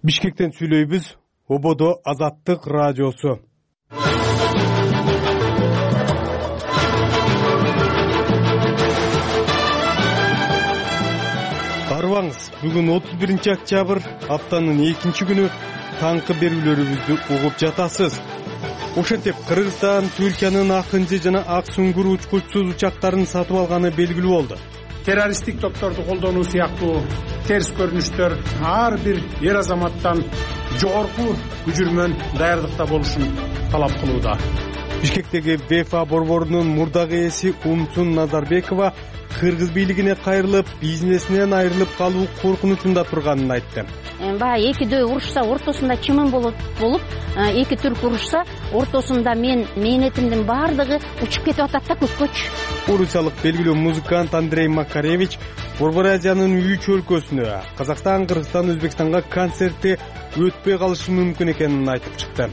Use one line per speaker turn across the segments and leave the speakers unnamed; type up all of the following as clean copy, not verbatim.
Бишкектен сүйлөйбүз. Ободо Азаттык радиосу. Арыбаңыз, бүгүн 31 октябрь, аптанын 2 күнү, таңкы берүүлөрүбүздү угуп жатасыз. Ошентип, Кыргызстан Түркиянын Акынжы жана Ак Сүңгүр учкучсуз учактарын сатып алганы белгилүү болду.
Террористтик топторду колдонуу сыяктуу терс көрүнүштөр ар бир эр азаматтан жогорку күжүрмөн даярдыкта болушун талап кылууда.
Бишкектеги ВФА борборунун мурдагы ээси Умсун Назарбекова кыргыз бийлигине кайрылып, бизнесинен айрылып калуу коркунучунда турганын айтты.
Баягы экидөө урушса ортосунда чымын болуп, эки түрк урушса ортосунда мээнетимдин баардыгы учуп кетип атат да көккөчү.
Орусиялык белгилүү музыкант Андрей Макаревич Борбор Азиянын 3 өлкөсүнө, Казакстан, Кыргызстан, Өзбекстанга концертти өтпөй калышы мүмкүн экенин айтып чыкты.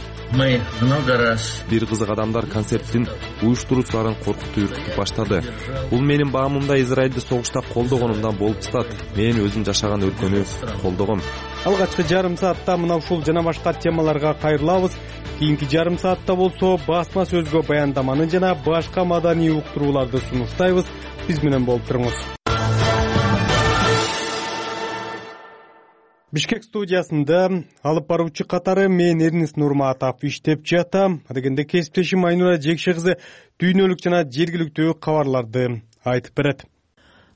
Бир кызык адамдар концерттин уюштуруучуларын коркутуп үркүтүп баштады. Бул менин баамымда Израилди согушта колдогонумдан болуп чыкат. Мен өзүм жашаган өлкөнү колдогом.
Алгачкы жарым саатта мына ушул жана башка темаларга кайрылабыз. Кийинки жарым саатта болсо басма сөзгө баяндаманы жана башка маданий уктурууларды сунуштайбыз. Биз менен болуп туруңуз. Бишкек студиясында алып баруучу катары мен Эрнис Нурматов иштеп жатам. Дегенде кесиптешим Айнура Жекше кызы дүйнөлүк жана жергиликтүү кабарларды айтып берет.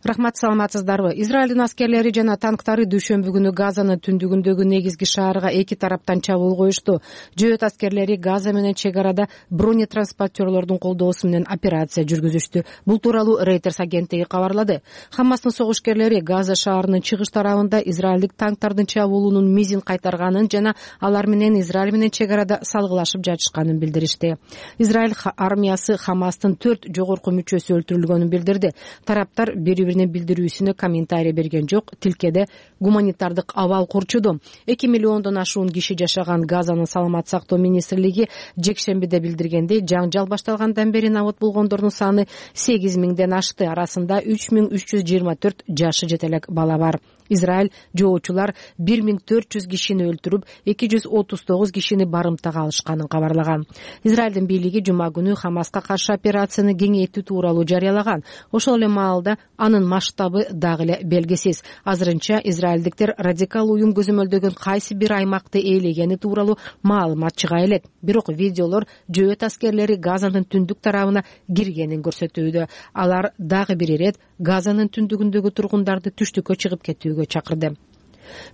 Рахмат, саламатсыздарбы? Израилдин аскерлери жана танктары дүйшөмбү күнү Газанын түндүгүндөгү негизги шаарга эки тараптан чабуул коюшту. Жөөт аскерлери Газа менен чек арада бронетранспортерлордун колдоосу менен операция жүргүзүштү. Бул тууралуу Reuters агенттиги кабарлады. Хамастын согушкерлери Газа шаарынын чыгыш тарабында израилдик танктардын чабуулунун мизин кайтарганын жана алар менен Израиль менен чек арада салгылашып жатышканын билдиришти. Израиль армиясы Хамастын 4 жогорку мүчөсү өлтүрүлгөнүн билдирди. Тараптар билдирүүсүнө комментарий берген жок. Тилкеде гуманитардык абал курчуду. 2 миллиондон ашуун киши жашаган Газанын саламат сактоо министрлиги жекшембиде билдиргендей, жаңжал башталгандан бери набат болгондордун саны 8000ден ашты. Арасында 3324 жашы жете элек бала бар. Израиль жоочулар 1400 кишини өлтүрүп, 239 кишини барымтага алышканын кабарлаган. Израилдин бийлиги жума күнү Хамаска каршы операцияны кеңейтүү тууралуу жарыялаган. Ошол эле маалда анын масштабы дагы эле белгисиз. Азырынча израилдиктер радикал уюм көзөмөлдөгөн кайсы бир аймакты ээлегени тууралуу маалымат чыга элек. Бирок видеолор жөөт аскерлери Газанын түндүк тарабына киргенин көрсөтүүдө. Алар дагы бир ирет Газанын түндүгүндөгү тургундарды түштүккө чыгып кетүүгө чакырды.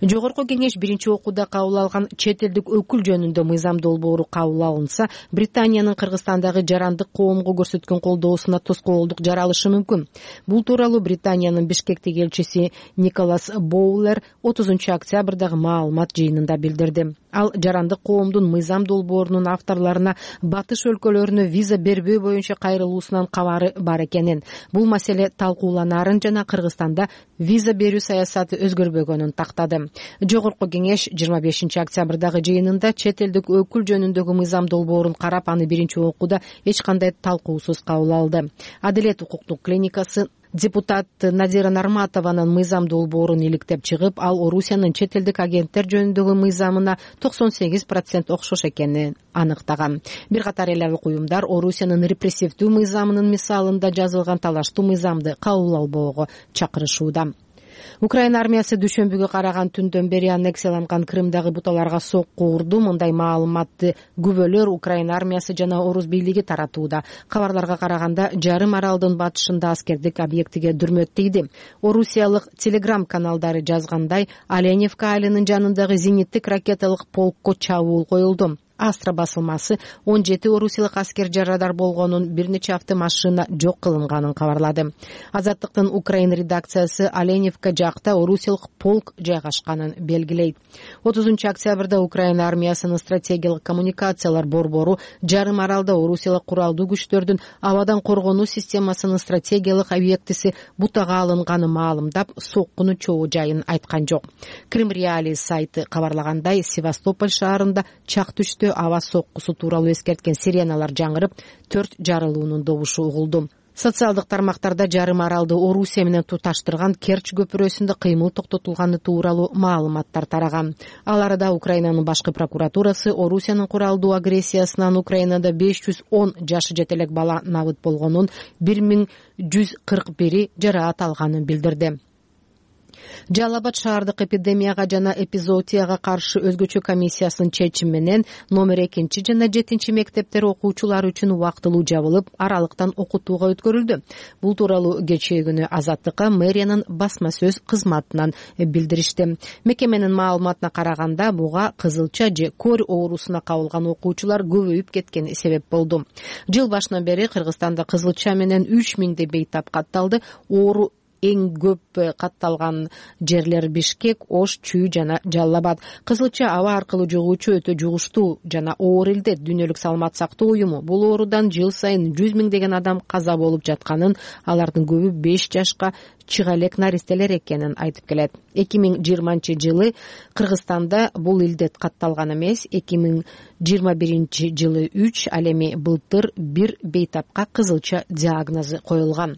Жогорку кеңеш биринчи окууда кабыл алган чет элдик өкүл жөнүндө мыйзам долбоору кабыл алынса, Британиянын Кыргызстандагы жарандык коомго көрсөткөн колдоосуна тоскоолдук жаралышы мүмкүн. Бул тууралуу Британиянын Бишкектеги элчиси Николас Боулер 30 октябрдагы маалымат жыйынында билдирди. Ал жарандык коомдун мыйзам долбоорунун авторлоруна батыш өлкөлөрүнө виза бербөө боюнча кайрылуусунан кабары бар экенин, бул маселе талкууланарын жана Кыргызстанда виза берүү саясаты өзгөрбөгөнүн тактады. Жогорку кеңеш 25 октябрдагы жыйынында чет элдик өкүл жөнүндөгү мыйзам долбоорун карап, аны биринчи окууда эч кандай талкуусуз кабыл алды. Адилет укуктук клиникасы депутат Надира Нарматованын мыйзам долбоорун иликтеп чыгып, ал Орусиянын чет элдик агенттер жөнүндөгү мыйзамына 98% окшош экенин аныктаган. Бир катар эл уюмдар Орусиянын репрессивдүү мыйзамынын мисалында жазылган талаштуу мыйзамды кабыл албоого чакырышууда. Украина армиясы дүйшөмбүгө караган түндөн бери аннексияланган Крымдагы буталарга сокку урду. Мындай маалыматты күбөлөр Украина армиясы жана Орус бийлиги таратууда. Кабарларга караганда, жарым аралдын батышында аскердик объектиге дүрмөт тийди. Орусиялык телеграм каналдары жазгандай, Оленевка айылынын жанындагы зениттик ракеталык полкко чабуул коюлду. Астра басылмасы 17 орусиялык аскер жарадар болгонун, бир нече автомашина жок кылынганын кабарлады. Азаттыктын Украина редакциясы Оленевка жакта орусиялык полк жайгашканын белгилейт. 30 октябрда Украина армиясынын стратегиялык коммуникациялар борбору жарым аралда орусиялык куралдуу күчтөрдүн абадан коргонуу системасынын стратегиялык объектиси бутага алынганын маалымдап, соккуну чоо жайын айткан жок. Крым Реалии сайты кабарлагандай, Севастополь шаарында чак түштө аба соккусу тууралуу эскерткен сиреналар жаңырып, 4 жарылуунун добушу угулду. Социалдык тармактарда жарым аралды Орусия менен туташтырган Керчь көпүрөсүндө кыймыл токтотулганы тууралуу маалыматтар тараган. Ал арада Украинанын башкы прокуратурасы Орусиянын куралдуу агрессиясынан Украинада 510 жашы жете элек бала набыт болгонун, 1141 жараат алганын билдирди. Жалал Абад шаардык эпидемияга жана эпизоотияга каршы өзгөчө комиссиясынын чечими менен номер 2 жана 7 мектептер окуучулар үчүн убактылуу жабылып, аралыктан окутууга өткөрүлдү. Бул тууралуу кечээ күнү Азаттыкка мэриянын басма сөз кызматынан билдиришти. Мекеменин маалыматына караганда, буга кызылча же кор оорусуна кабылган окуучулар көбөйүп кеткени себеп болду. Жыл башынан бери Кыргызстанда кызылча менен 3000 бейтап катталды. Оору эң көп катталган жерлер Бишкек, Ош, Чүй жана Жалал Абад. Кызылча аба аркылуу жугуучу өтө жугуштуу жана оор илдет. Дүйнөлүк саламат сактоо уюму бул оорудан жыл сайын 100 миңдеген адам каза болуп жатканын, алардын көбү 5 жашка чыга элек наристелер экенин айтып келет. 2020-жылы Кыргызстанда бул илдет катталган эмес, 2021-жылы 3, ал эми былтыр 1 бейтапка кызылча диагнозу коюлган.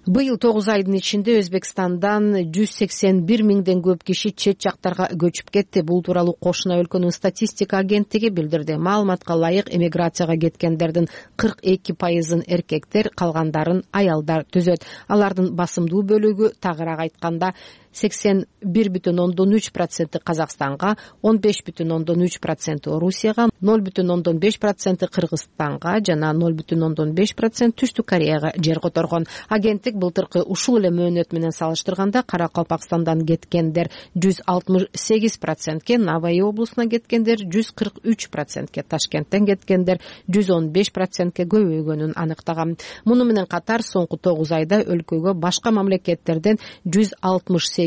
Быйыл 9 айдын ичинде Өзбекстандан 181 миңден көп киши чет жактарга көчүп кетти. Бул тууралуу кошуна өлкөнүн статистика агенттиги билдирди. Маалыматка ылайык, эмиграцияга кеткендердин 42% эркектер, калгандарын аялдар түзөт. Алардын басымдуу бөлүгү, тагыраак айтканда, 81,3% Казакстанга, 15,3% Орусияга, 0,5% Кыргызстанга жана 0,5% Түштүк Кореяга жер которгон. Агенттик былтыркы ушул эле мөөнөт менен салыштырганда Каракалпакстандан кеткендер 168%, Навай облусуна кеткендер 143%, Ташкенттен кеткендер 115%ке көбөйгөнүн аныктаган. Муну менен катар соңку 9 айда өлкөгө башка мамлекеттерден 168,7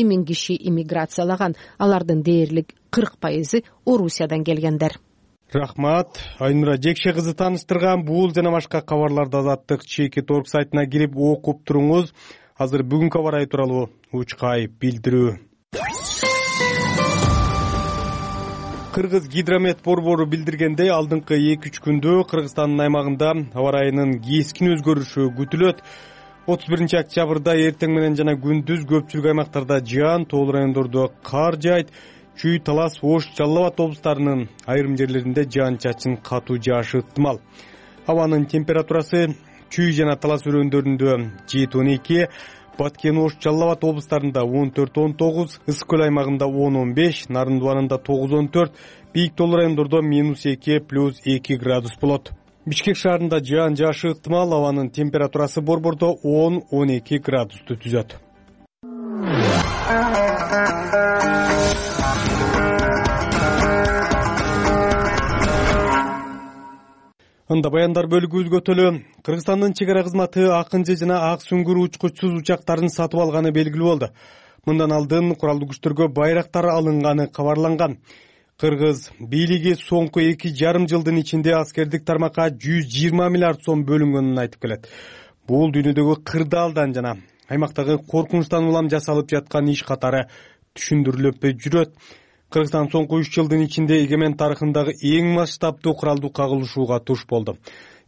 миң киши иммиграциялаган. Алардын дээрлик 40% Орусиядан келгендер.
Рахмат. Айнура Жекше кызы тааныштырган бул жана башка кабарларды Азаттык ЧК.org сайтына кирип окуп туруңуз. Азыр бүгүнкү аба ырайы тууралуу учкай билдирүү. Кыргыз гидромет борбору билдиргендей, алдыңкы 2-3 күндө Кыргызстандын аймагында аба ырайынын кескин өзгөрүшү күтүлөт. 31 октябрда эртең менен жана күндүз көпчүлүк аймактарда жаан, тоол райондордо кар жаайт. Чүй, Талас, Ош, Жалал Абад облустарынын айрым жерлеринде жаан-чачын катуу жаашы ыктымал. Абанын температурасы Чүй жана Талас өрөөндөрүндө 7-12, Баткен, Ош, Жалал Абад облустарында 14-19, Ысык көл аймагында 10-15, Нарын дубанында 9-14, бийик тоол райондордо -2 + 2 градус болот. Бишкек шаарында жаан жаашы ыктымал, абанын температурасы борбордо 10-12 градусту түзөт. Анда баяндар бөлүгүбүзгө өтөлү. Кыргызстандын чек ара кызматы акынчы жана ак сүңгүр учкучсуз учактарын сатып алганы белгилүү болду. Мындан алдын куралдуу күчтөргө байрактар алынганы кабарланган. Кыргыз бийлиги соңку 2,5 жылдын ичинде аскердик тармакка 120 миллиард сом бөлүнгөнүн айтып келет. Бул дүйнөдөгү кырдаалдан жана аймактагы коркунучтан улам жасалып жаткан иш катары түшүндүрүлүп жүрөт. Кыргызстан соңку 3 жылдын ичинде эгемен тарыхындагы эң масштабдуу куралдуу кагылышууга туш болду.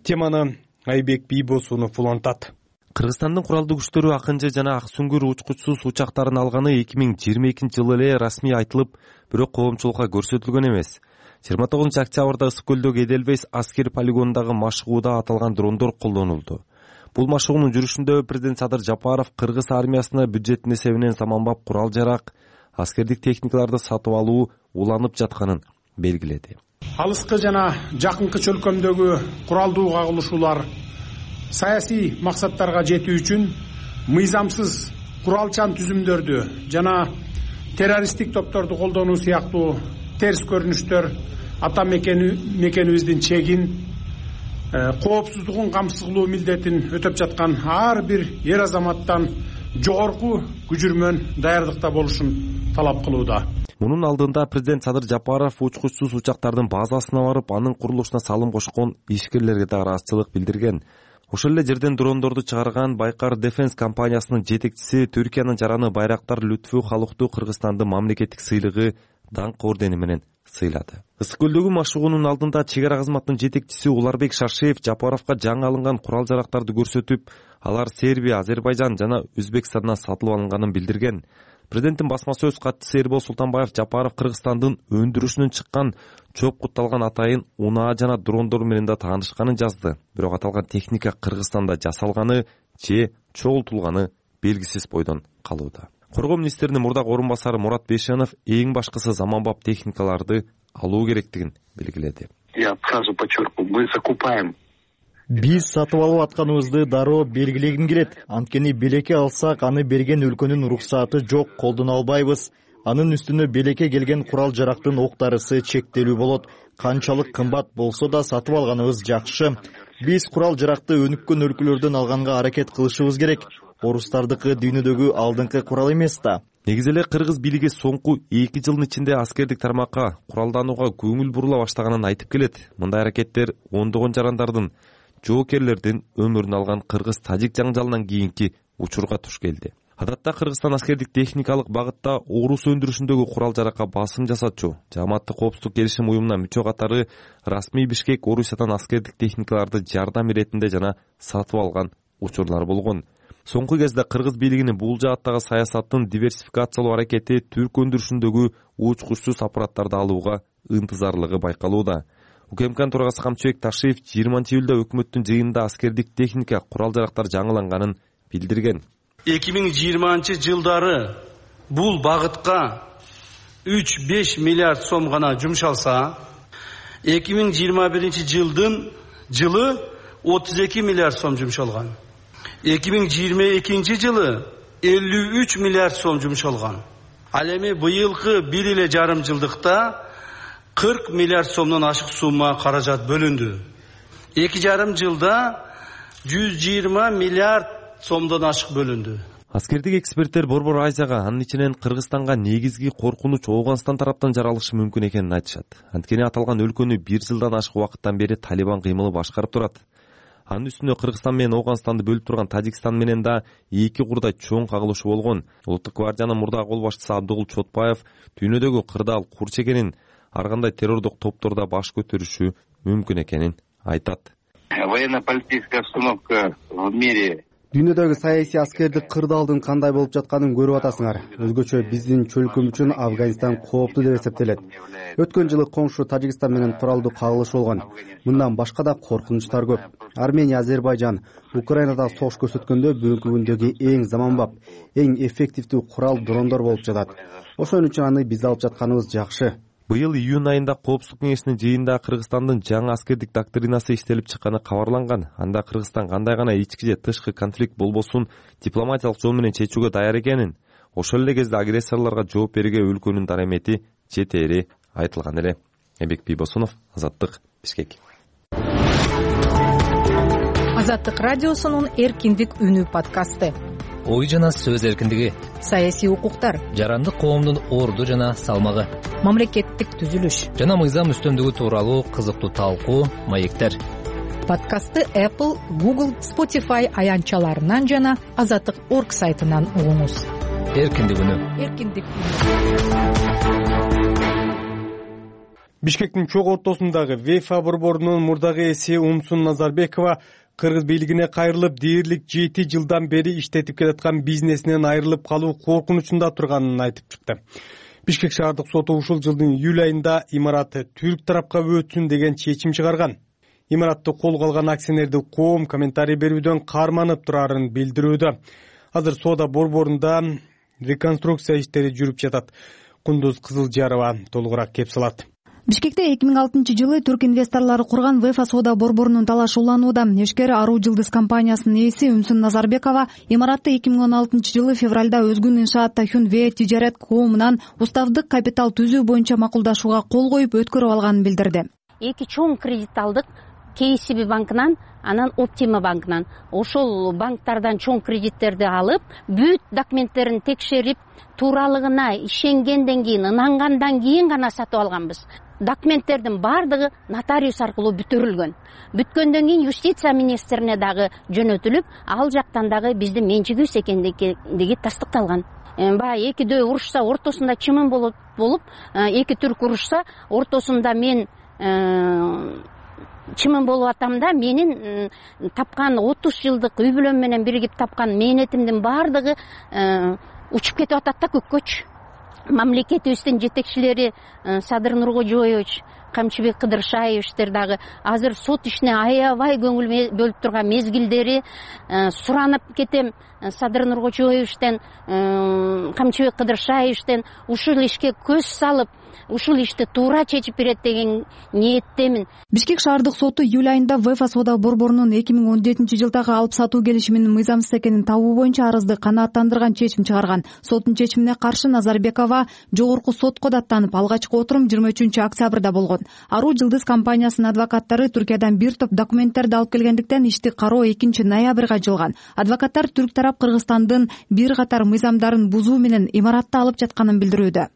Теманы Айбек Бийбосунов улантат.
Кыргызстандын куралдуу күчтөрү акынчы жана ак сүңгүр учкучсуз учактарын алганы 2022-жылы эле расмий айтылып, бирок коомчулукка көрсөтүлгөн эмес. 29 октябрда Ысык көлдөгү Эделвейс аскер полигонундагы машыгууда аталган дрондор колдонулду. Бул машыгуунун жүрүшүндө президент Садыр Жапаров кыргыз армиясына бюджеттин эсебинен заманбап курал-жарак, аскердик техникаларды сатып алуу уланып жатканын белгиледи.
Алыскы жана жакынкы чөлкөмдөгү куралдуу кагылышуулар саясий максаттарга жетүү үчүн мыйзамсыз куралчан түзүмдөрдү жана террористтик топторду колдонуу сыяктуу терс көрүнүштөр ата мекенибиздин чегин, коопсуздугун камсыз кылуу милдетин өтөп жаткан ар бир эр азаматтан жогорку күжүрмөн даярдыкта болушун талап кылууда.
Мунун алдында президент Садыр Жапаров учкучсуз учактардын базасына барып, анын курулушуна салым кошкон ишкерлерге да ыраазычылык билдирген. Ошол эле жерден дрондорду чыгарган Байкар Defense компаниясынын жетекчиси Түркиянын жараны байрактар Лүтфү Халукту Кыргызстандын мамлекеттик сыйлыгы даңк ордени менен сыйлады. Ысык көлдөгү машыгуунун алдында чек ара кызматынын жетекчиси Уларбек Шаршеев Жапаровго жаңы алынган курал-жарактарды көрсөтүп, алар Сербия, Азербайжан жана Өзбекстандан сатылып алынганын билдирген. Президенттин басма сөз катчысы Эрбол Султанбаев Жапаров Кыргызстандын өндүрүшүнөн чыккан чоп кутталган атайын унаа жана дрондор менен да таанышканын жазды. Бирок аталган техника Кыргызстанда жасалганы же чогултулганы белгисиз бойдон калууда. Коргоо министринин мурдагы орун басары Мурат Бешенов эң башкысы заманбап техникаларды алуу керектигин белгиледи.
Я сразу подчеркиваю, мы закупаем.
Биз сатып алып атканыбызды дароо белгилегим келет. Анткени белекке алсак, аны берген өлкөнүн уруксааты жок, колдоно албайбыз. Анын үстүнө белекке келген курал-жарактын октарысы чектелүү болот. Канчалык кымбат болсо да сатып алганыбыз жакшы. Биз курал-жаракты өнүккөн өлкөлөрдөн алганга аракет кылышыбыз керек. Орустардыкы дүйнөдөгү алдыңкы курал эмес да.
Негизи эле кыргыз бийлиги соңку 2 жылдын ичинде аскердик тармакка куралданууга көңүл бурула баштаганын айтып келет. Мындай аракеттер ондогон жарандардын, жоокерлердин өмүрүн алган кыргыз-тажик жаңжалынан кийинки учурга туш келди. Адатта Кыргызстан аскердик техникалык багытта орус өндүрүшүндөгү курал-жаракка басым жасатчу Жааматтык коопсуздук келишим уюмуна мүчө катары расмий Бишкек Орусиядан аскердик техникаларды жардам иретинде жана сатып алган учурлар болгон. Соңку кезде кыргыз бийлигинин бул жааттагы саясаттын диверсификациялоо аракети түрк өндүрүшүндөгү учкучсуз аппараттарды алууга ынтызарлыгы байкалууда. УКМКнын төрагасы Камчыбек Ташиев 20-июлда өкмөттүн жыйынында аскердик техника, курал-жарактар жаңыланганын билдирген.
2020-жылдары бул багытка 3-5 миллиард сом гана жумшалса, 2021-жылы 32 миллиард сом жумшалган. 2022-жылы 53 миллиард сом жумшалган. Ал эми быйылкы 1,5 жылдыкта 40 миллиард сомдон ашык сумма каражат бөлүндү. 2,5 жылда 120 миллиард сомдон ашык бөлүндү.
Аскердик эксперттер Борбор Азияга, анын ичинен Кыргызстанга негизги коркунуч Ооганстан тараптан жаралышы мүмкүн экенин айтышат. Анткени аталган өлкөнү 1 жылдан ашык убакыттан бери Талибан кыймылы башкарып турат. Анын үстүнө Кыргызстан менен Ооганстанды бөлүп турган Тажикстан менен да эки курдай чоң кагылышуу болгон. Улуттук гвардиянын мурдагы кол башчысы Абдыгул Чотбаев дүйнөдөгү кырдаал курч экенин, ар кандай террордук топтордо баш көтөрүшү мүмкүн экенин айтат.
Военно-политическая обстановка в мире.
Дүйнөдөгү саясий аскердик кырдаалдын кандай болуп жатканын көрүп атасыңар. Өзгөчө биздин чөлкөм үчүн Афганистан кооптуу деп эсептелет. Өткөн жылы коңшу Тажикстан менен куралдуу кагылыш болгон. Мындан башка да коркунучтар көп. Армения, Азербайжан, Украинада согуш көрсөткөндө бүгүнкү күндөгү эң заманбап, эң эффективдүү курал дрондор болуп жатат. Ошон үчүн аны биз алып жатканыбыз жакшы.
Быйыл июнь айында Коопсуздук кеңешинин жыйынында Кыргызстандын жаңы аскердик доктринасы иштелип чыкканы кабарланган. Анда Кыргызстан кандай гана ички же тышкы конфликт болбосун дипломатиялык жол менен чечүүгө даяр экенин, ошол эле кезде агрессорлорго жооп берүүгө өлкөнүн дарамети жетери айтылган эле. Эбек Бийбосунов, Азаттык, Бишкек.
Азаттык радиосунун Эркиндик үнү подкасты.
Ой жана сөз эркиндиги,
саясий укуктар,
жарандык коомдун орду жана салмагы,
мамлекеттик түзүлүш
жана мыйзам үстөмдүгү тууралуу кызыктуу талкуу, маектер.
Подкастты Apple, Google, Spotify аянтчаларынан жана Азаттык.org сайтынан угуңуз.
Эркиндик үнү.
Эркиндик.
Бишкектин чоң ортосундагы ВЕФА борборунун мурдагы эси Умсун Назарбекова кыргыз бийлигине кайрылып, дээрлик 7 жылдан бери иштетип келаткан бизнесинен айрылып калуу коркунучунда турганын айтып чыкты. Бишкек шаардык соту ушул жылдын июль айында имараты түрк тарапка өтсүн деген чечим чыгарган. Имаратты колго алган акционердик коом комментарий берүүдөн карманып турарын билдирүүдө. Азыр соода борборунда реконструкция иштери жүрүп жатат. Кундуз Кызылжарова толугураак кеп салат.
Бишкекте 2006-жылы түрк инвесторлору курган ВЕФА соода борборунун талашы уланууда. Ишкер Аруу Жылдыз компаниясынын ээси Умсун Назарбекова имаратты 2016-жылы февралда Өзгүн Иншаат Тахюн Ве тижарет коомунан уставдык капитал түзүү боюнча макулдашууга кол коюп өткөрүп алганын билдирди.
Эки чоң кредит алдык. KCB банкынан, анан Optima банкынан. Ошол банктардан чоң кредиттерди алып, бүт документтерин текшерип, тууралыгына ишенгенден кийин, ынангандан кийин гана сатып алганбыз. Документтердин бардыгы нотариус аркылуу бүтүрүлгөн. Бүткөндөн кийин юстиция министрине дагы жөнөтүлүп, ал жактан дагы биздин менчигибиз экендиги тастыкталган. баягы экидөө урушса ортосунда чымын болуп эки түрк урушса ортосунда мен чымын болуп атам да менин тапкан 30 жылдык үй бүлөм менен биригип тапкан мээнетимдин баардыгы учуп кетип атат да көккөчү. Мамлекетибиздин жетекчилери Садыр Нуркожоевич, Камчыбек Кыдыршаевичтер дагы азыр сот ишине аябай көңүл бөлүп турган мезгилдери. Суранып кетем Садыр Нуркожоевичтен, Камчыбек Кыдыршаевичтен ушул ишке көз салып, ушул ишти туура чечип берет деген ниеттемин.
Бишкек шаардык соту июль айында ВЭФА соода борборунун 2017-жылдагы алып сатуу келишиминин мыйзамсыз экенин табуу боюнча арызды канааттандырган чечим чыгарган. Соттун чечимине каршы Назарбекова жогорку сотко даттанып, алгачкы отурум 23-октябрда болгон. Аруу Жылдыз компаниясынын адвокаттары Түркиядан бир топ документтерди алып келгендиктен ишти кароо 2-ноябрга жылган. Адвокаттар түрк тарап Кыргызстандын бир катар мыйзамдарын бузуу менен имаратты алып жатканын билдирүүдө.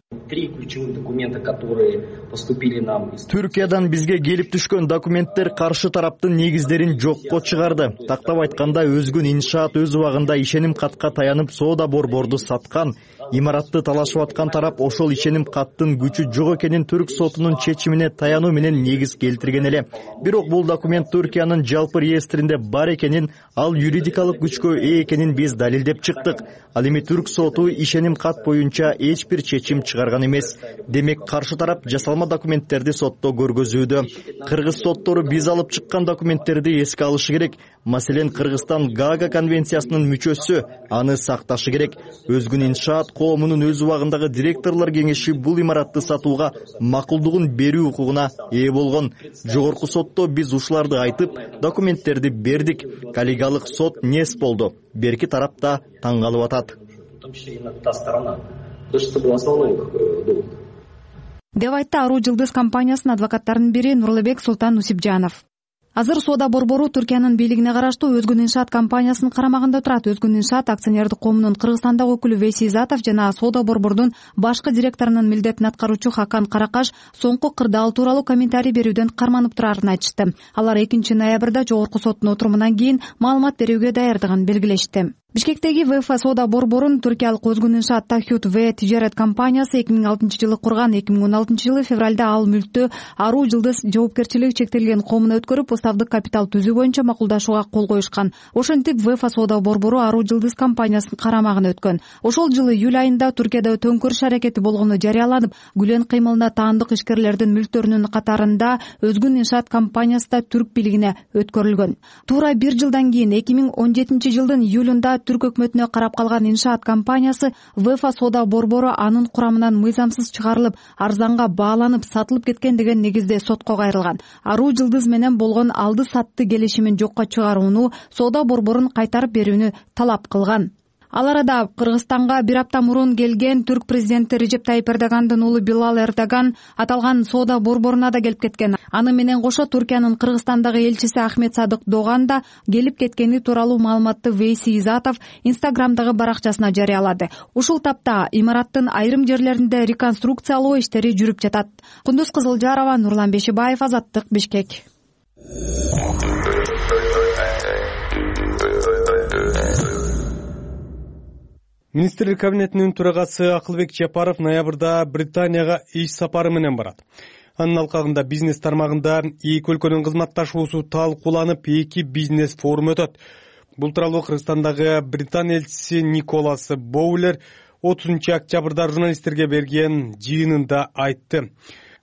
Түркиядан бизге келип түшкөн документтер каршы тараптын негиздерин жокко чыгарды. Тактап айтканда, өзгүн иншаат өз убагында ишеним катка таянып соода борборду саткан. Имаратты талашып аткан тарап ошол ишеним каттын күчү жок экенин түрк сотунун чечимине таянуу менен негиз келтирген эле. Бирок бул документ Түркиянын жалпы реестринде бар экенин, ал юридикалык күчкө ээ экенин биз далилдеп чыктык. Ал эми түрк соту ишеним кат боюнча эч бир чечим чыгарган эмес. Демек каршы тарап жасалма документтерди сотто көргөзүүдө. Кыргыз соттору биз алып чыккан документтерди эске алышы керек. Маселен, Кыргызстан Гаага конвенциясынын мүчөсү, аны сакташы керек. Өзгүн иншаат коомунун өз убагындагы директорлор кеңеши бул имаратты сатууга макулдугун берүү укугуна ээ болгон. Жогорку сотто биз ушуларды айтып, документтерди бердик. Коллегиалык сот нес болду. Берки тарапта таң калып атат.
Деп айтты Аруу Жылдыз компаниясынын адвокаттарынын бири Нурлыбек Султан Усипжанов. Азыр соода борбору Түркиянын бийлигине караштуу Өзгүн иншаат компаниясынын карамагында турат. Өзгүн иншаат акционердик коомунун Кыргызстандагы өкүлү Вейси Изатов жана соода борбордун башкы директорунун милдетин аткаруучу Хакан Каракаш соңку кырдаал тууралуу комментарий берүүдөн карманып турарын айтышты. Алар 2-ноябрда жогорку соттун отурумунан кийин маалымат берүүгө даярдыгын белгилешти. Бишкектеги ВЭФА соода борборун түркиялык Өзгүн иншаат Тахют В тижарат компаниясы 2006-жылы курган. 2016-жылы февралда ал мүлктү Аруу Жылдыз жоопкерчилиги чектелген коомуна өткөрүп, уставдык капитал түзүү боюнча макулдашууга кол коюшкан. Ошентип ВЭФА соода борбору Аруу Жылдыз компаниясынын карамагына өткөн. Ошол жылы июль айында Түркияда төңкөрүш аракети болгону жарыяланып, Гүлен кыймылына таандык ишкерлердин мүлктөрүнүн катарында Өзгүн иншаат компаниясы да түрк бийлигине өткөрүлгөн. Туура бир жылдан кийин 2017-жылдын июлунда түрк өкмөтүнө карап калган иншаат компаниясы ВЭФА соода борбору анын курамынан мыйзамсыз чыгарылып, арзанга бааланып сатылып кеткен деген негизде сотко кайрылган. Аруу Жылдыз менен болгон алды-сатты келишимин жокко чыгарууну, соода борборун кайтарып берүүнү талап кылган. Ал арада Кыргызстанга бир апта мурун келген түрк президенти Режеп Тайип Эрдогандын уулу Билал Эрдоган аталган соода борборуна да келип кеткен. Аны менен кошо Түркиянын Кыргызстандагы элчиси Ахмет Садык Доган да келип кеткени тууралуу маалыматты Вейси Изатов Инстаграмдагы баракчасына жарыялады. Ушул тапта имараттын айрым жерлеринде реконструкциялоо иштери жүрүп жатат. Кундуз Кызылжарова, Нурлан Бешибаев, Азаттык, Бишкек.
Министрлер кабинетинин төрагасы Акылбек Жапаров ноябрда Британияга иш сапары менен барат. Анын алкагында бизнес тармагында эки өлкөнүн кызматташуусу талкууланып, эки бизнес форум өтөт. Бул тууралуу Кыргызстандагы Британ элчиси Николас Боулер 30-октябрда журналисттерге берген жыйынында айтты.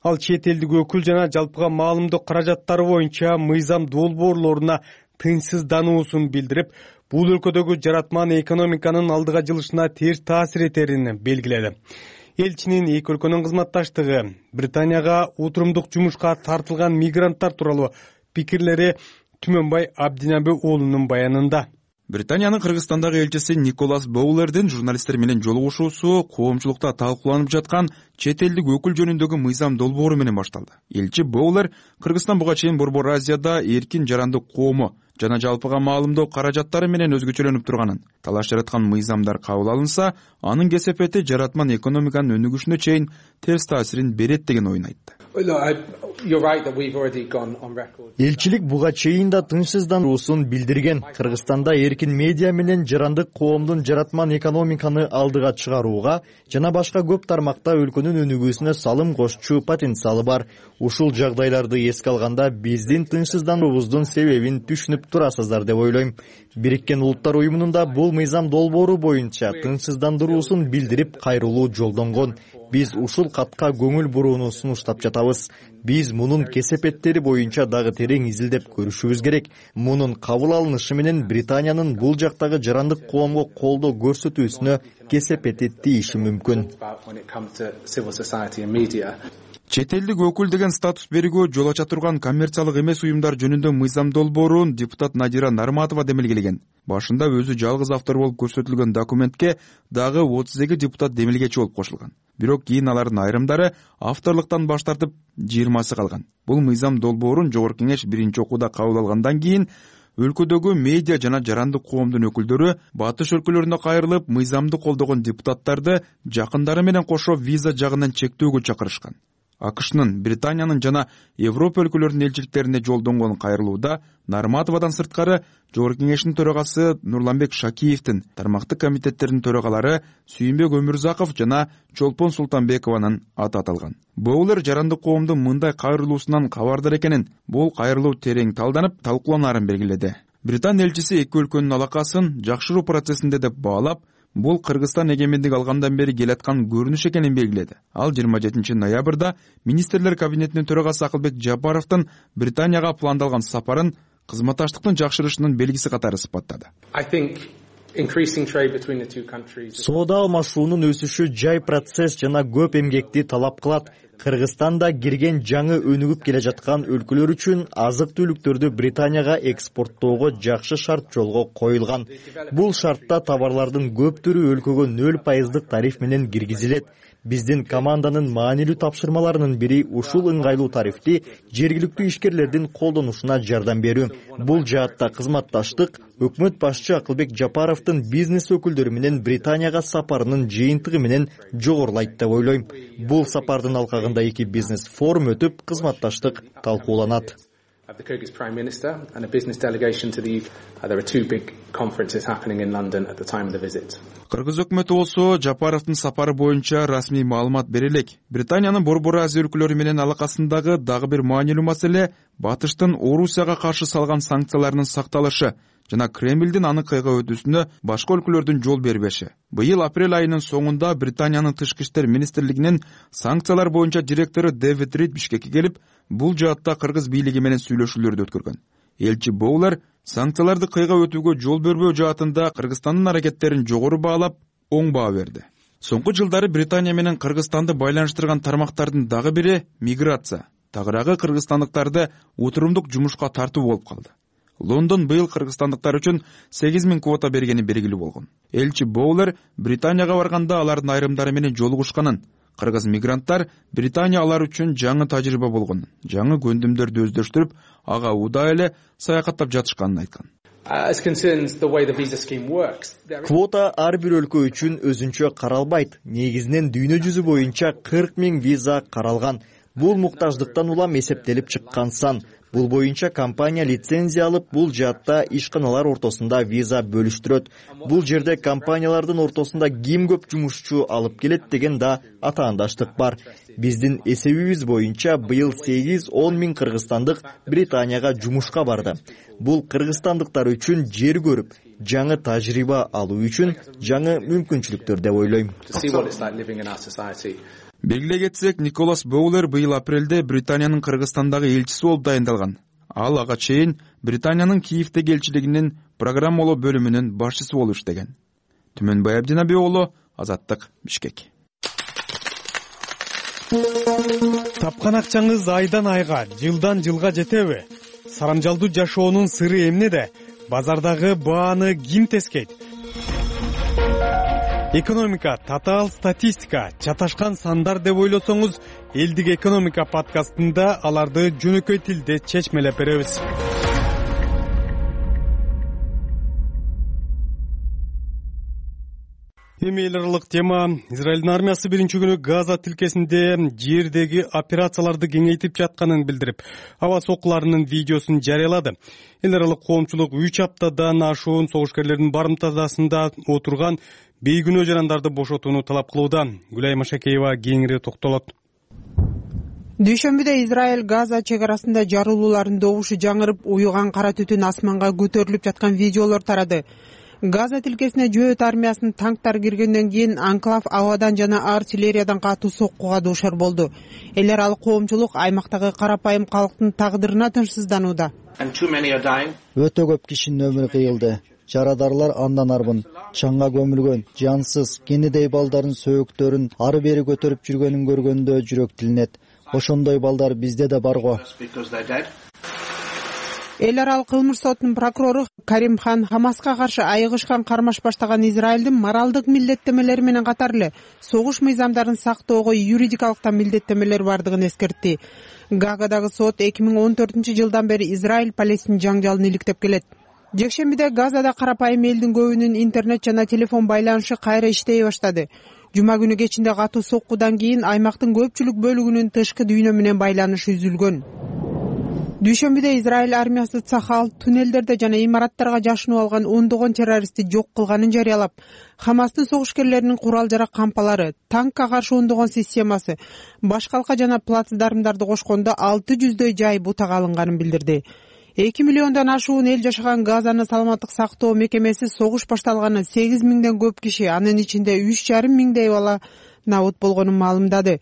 Ал чет элдик өкүл жана жалпыга маалымдоо каражаттары боюнча мыйзам долбоорлоруна тынчсыздануусун билдирип, бул өлкөдөгү жаратман экономиканын алдыга жылышына терс таасир этерин белгиледи. Элчинин эки өлкөнүн кызматташтыгы, Британияга отурумдук жумушка тартылган мигранттар тууралуу пикирлери Түмөнбай Абдинаби уулунун баянында.
Британиянын Кыргызстандагы элчиси Николас Боулердин журналисттер менен жолугушуусу коомчулукта талкууланып жаткан чет элдик өкүл жөнүндөгү мыйзам долбоору менен башталды. Элчи Боулер Кыргызстан буга чейин Борбор Азияда эркин жарандык коому жана жалпыга маалымдоо каражаттары менен өзгөчөлөнүп турганын, талаш жараткан мыйзамдар кабыл алынса, анын кесепети жаратман экономиканын өнүгүшүнө чейин терс таасирин берет деген оюн айтты.
Элчилик буга чейин да тынчсыздануусун билдирген. Кыргызстанда эркин медиа менен жарандык коомдун жаратман экономиканы алдыга чыгарууга жана башка көп тармакта өлкөнүн өнүгүүсүнө салым кошчу потенциалы бар. Ушул жагдайларды эске алганда биздин тынчсыздануубуздун себебин түшүнүп турасыздар деп ойлойм. Бириккен Улуттар уюмунун да бул мыйзам долбоору боюнча тынчсыздандыруусун билдирип кайрылуу жолдонгон. Биз ушул катка көңүл бурууну сунуштап жатабыз. Биз мунун кесепеттери боюнча дагы терең изилдеп көрүшүбүз керек. Мунун кабыл алынышы менен Британиянын бул жактагы жарандык коомго колдоо көрсөтүүсүнө кесепети тийиши мүмкүн.
Чет элдик өкүл деген статус берүүгө жол ача турган коммерциялык эмес уюмдар жөнүндө мыйзам долбоорун депутат Надира Нарматова демилгелеген. Башында өзү жалгыз автор болуп көрсөтүлгөн документке дагы 32 депутат демилгечи болуп кошулган. Бирок кийин алардын айрымдары авторлуктан баш тартып 20сы калган. Бул мыйзам долбоорун Жогорку Кеңеш биринчи окууда кабыл алгандан кийин өлкөдөгү медиа жана жарандык коомдун өкүлдөрү батыш өлкөлөрүнө кайрылып, мыйзамды колдогон депутаттарды жакындары менен кошо виза жагынан чектөөгө чакырышкан. АКШнын, Британиянын жана Европа өлкөлөрүнүн элчиликтерине жолдонгон кайрылууда Нарматовадан сырткары Жогорку Кеңештин төрагасы Нурланбек Шакиевдин, тармактык комитеттердин төрагалары Сүйүнбек Өмүрзаков жана Чолпон Султанбекованын аты аталган. Боулер жарандык коомдун мындай кайрылуусунан кабардар экенин, бул кайрылуу терең талданып, талкууланаарын белгиледи. Британ элчиси эки өлкөнүн алакасын жакшыруу процессинде деп баалап, бул Кыргызстан эгемендик алгандан бери келаткан көрүнүш экенин белгиледи. Ал 27 ноябрда министрлер кабинетинин төрагасы Акылбек Жапаровдун Британияга пландалган сапарын кызматташтыктын жакшырышынын белгиси катары сыпаттады.
Соода алмашуунун өсүшү жай процесс жана көп эмгекти талап кылат. Кыргызстанда кирген жаңы өнүгүп келе жаткан өлкөлөр үчүн азык түлүктөрдү Британияга экспорттоого жакшы шарт жолго коюлган. Бул шартта товарлардын көптүрү өлкөгө 0% тариф менен киргизилет. Биздин команданын маанилүү тапшырмаларынын бири ушул ыңгайлуу тарифти жергиликтүү ишкерлердин колдонушуна жардам берүү. Бул жаатта кызматташтык өкмөт башчы Акылбек Жапаровдун бизнес өкүлдөрү менен Британияга сапарынын жыйынтыгы менен жогорулайт деп ойлойм. Бул сапардын алкагында эки бизнес форум өтүп, кызматташтык талкууланат.
The Kyrgyz Prime Minister and a business delegation to the UK. There are two big conferences happening in London at the time of the visit.
Кыргыз өкмөтү болсо Жапаровдун сапары боюнча расмий маалымат бере элек. Британиянын Борбор Азия өлкөлөрү менен алакасындагы дагы бир маанилүү маселе Батыштын Орусияга каршы салган санкцияларынын сакталышы жана Кремлдин аны кыйга өтүүсүнө башка өлкөлөрдүн жол бербеши. Быйыл апрель айынын соңунда Британиянын Тышкы иштер министрлигинин санкциялар боюнча директору Дэвид Рид Бишкекке келип, бул жаатта кыргыз бийлиги менен сүйлөшүүлөрдү өткөргөн. Элчи Боулер санкцияларды кыйга өтүүгө жол бербөө жаатында Кыргызстандын аракеттерин жогору баалап, оң баа берди. Соңку жылдары Британия менен Кыргызстанды байланыштырган тармактардын дагы бири миграция. Тагыраагы кыргызстандыктарды отурумдук жумушка тартуу болуп калды. Лондон быйыл кыргызстандыктар үчүн 8000 квота бергени белгилүү болгон. Элчи Боулер Британияга барганда алардын айрымдары менен жолугушканын, кыргыз мигранттар Британия алар үчүн жаңы тажрыйба болгонун, жаңы көндүмдөрдү өздөштүрүп, ага удаа эле саякаттап жатышканын айткан.
Квота ар бир өлкө үчүн өзүнчө каралбайт. Негизинен дүйнө жүзү боюнча 40 000 виза каралган. Бул муктаждыктан улам эсептелип чыккан сан. Бул боюнча компания лицензия алып, бул жаатта ишканалар ортосунда виза бөлүштүрөт. Бул жерде компаниялардын ортосунда ким көп жумушчу алып келет деген да атаандаштык бар. Биздин эсебибиз боюнча быйыл 8-10 000 кыргызстандык Британияга жумушка барды. Бул кыргызстандыктар үчүн жер көрүп, жаңы тажрыйба алуу үчүн жаңы мүмкүнчүлүктөр деп ойлойм.
Белгилей кетсек, Николас Боулер быйыл апрелде Британиянын Кыргызстандагы элчиси болуп дайындалган. Ал ага чейин Британиянын Киевдеги элчилигинин программалоо бөлүмүнүн башчысы болуп иштеген. Түмөнбай Абдинабек уулу, Азаттык, Бишкек.
Тапкан акчаңыз айдан айга, жылдан жылга жетеби? Сарамжалдуу жашоонун сыры эмнеде? Базардагы бааны ким тескейт? Экономика, татаал статистика, чаташкан сандар деп ойлосоңуз, элдик экономика подкастында аларды жөнөкөй тилде чечмелеп беребиз. Эми эл аралык тема. Израилдин армиясы биринчи күнү Газа тилкесинде жердеги операцияларды кеңейтип жатканын билдирип, аба соккуларынын видеосун жарыялады. Эл аралык коомчулук 3 аптадан ашуун согушкерлердин барымтасында отурган бейгүнөө жарандарды бошотууну талап кылууда. Гүлай Машакеева кеңири токтолот.
Дүйшөмбүдө Израиль Газа чек арасында жарылуулардын добушу жаңырып, уюган кара түтүн асманга көтөрүлүп жаткан видеолор тарады. Газа тилкесине жөөт армиясынын танктары киргенден кийин анклав абадан жана артиллериядан катуу соккуга дуушар болду. Эл аралык коомчулук аймактагы карапайым калктын тагдырына тынчсызданууда.
Өтө көп кишинин өмүрү кыйылды. Жарадарлар андан арбын, чаңга көмүлгөн, жансыз, кенедей балдардын сөөктөрүн ары бери көтөрүп жүргөнүн көргөндө жүрөк тилинет. Ошондой балдар бизде да бар го.
Эл аралык кылмыш сотунун прокурору Карим Хан Хамаска каршы айыгышкан кармаш баштаган Израилдин моралдык милдеттемелери менен катар эле согуш мыйзамдарын сактоого юридикалык да милдеттемелер бардыгын эскертти. Гаагадагы сот 2014-жылдан бери Израиль-Палестин жаңжалын иликтеп келет. Жекшембиде Газада карапайым элдин көбүнүн интернет жана телефон байланышы кайра иштей баштады. Жума күнү кечинде катуу соккудан кийин аймактын көпчүлүк бөлүгүнүн тышкы дүйнө менен байланышы үзүлгөн. Дүйшөмбүдө Израиль армиясы Цахал туннелдерде жана имараттарга жашынып алган ондогон террористти жок кылганын жарыялап, Хамастын согушкерлеринин курал-жарак кампалары, танкка каршы ондогон системасы, башкалка жана плацдармдарды кошкондо 600дөй жай бутага алынганын билдирди. 2 миллиондон ашуун эл жашаган Газаны саламаттык сактоо мекемеси согуш башталганы 8.000ден көп киши, анын ичинде 3,5 миңдей бала набут болгонун маалымдады.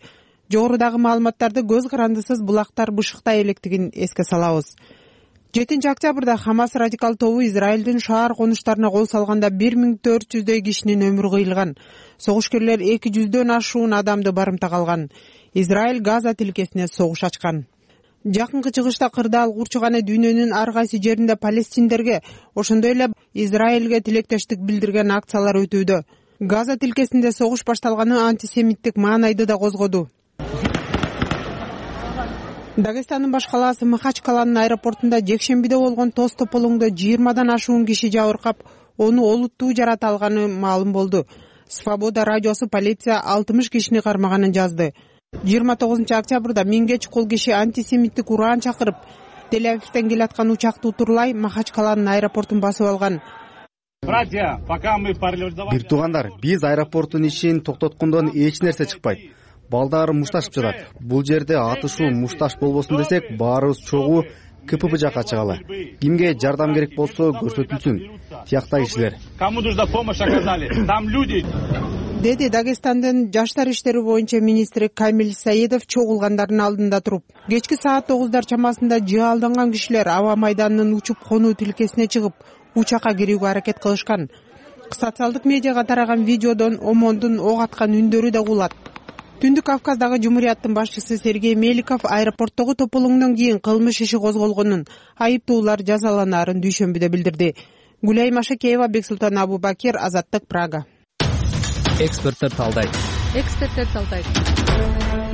Жогорудагы маалыматтарды көз карандысыз булактар бышыктай электигин эске салабыз. 7-октябрда Хамас радикал тобу Израилдин шаар конуштарына кол салганда 1400дөй кишинин өмүрү кыйылган. Согушкерлер 200дөн ашуун адамды барымтага алган. Израиль Газа тилкесине согуш ачкан. Жакынкы чыгышта кырдаал курчуганы дүйнөнүн ар кайсы жеринде палестиндерге, ошондой эле Израилге тилектештик билдирген акциялар өтүүдө. Газа тилкесинде согуш башталганы антисемиттик маанайды да козгоду. Дагестандын баш калаасы Махачкаланын аэропортунда жекшембиде болгон тоз тополоңдо 20дан ашуун киши жабыркап, ону олуттуу жарата алганы маалым болду. Свобода радиосу полиция 60 кишини кармаганын жазды. 29-октябрда 1000ге чукул киши антисемиттик ураан чакырып, Тель-Авивден келаткан учакты утурлай Махачкаланын аэропортун басып алган.
Бир туугандар, биз аэропорттун ишин токтоткондон эч нерсе чыкпайт. Балдар мушташып жатат. Бул жерде атышуу мушташ болбосун десек, баарыбыз чогуу КПП жакка чыгалы. Кимге жардам керек болсо көрсөтүлсүн. Тиякта кишилер.
Кому нужна помощь оказали? Там люди. Деди Дагестандын жаштар иштери боюнча министри Камил Саидов чогулгандардын алдында туруп. Кечки саат 9 чамасында жаалданган кишилер аба майданынын учуп конуу тилкесине чыгып, учакка кирүүгө аракет кылышкан. Социалдык медиага тараган видеодон ОМОНдун ок аткан үндөрү да угулат. Түндүк Кавказдагы Жумурияттын башчысы Сергей Меликов аэропорттогу тополоңдон кийин кылмыш иши козголгонун, айыптуулар жазаланаарын дүйшөмбүдө билдирди. Гүлай Машакеева, Бексултан Абубакир, Азаттык, Прага.
Эксперттер талдайт.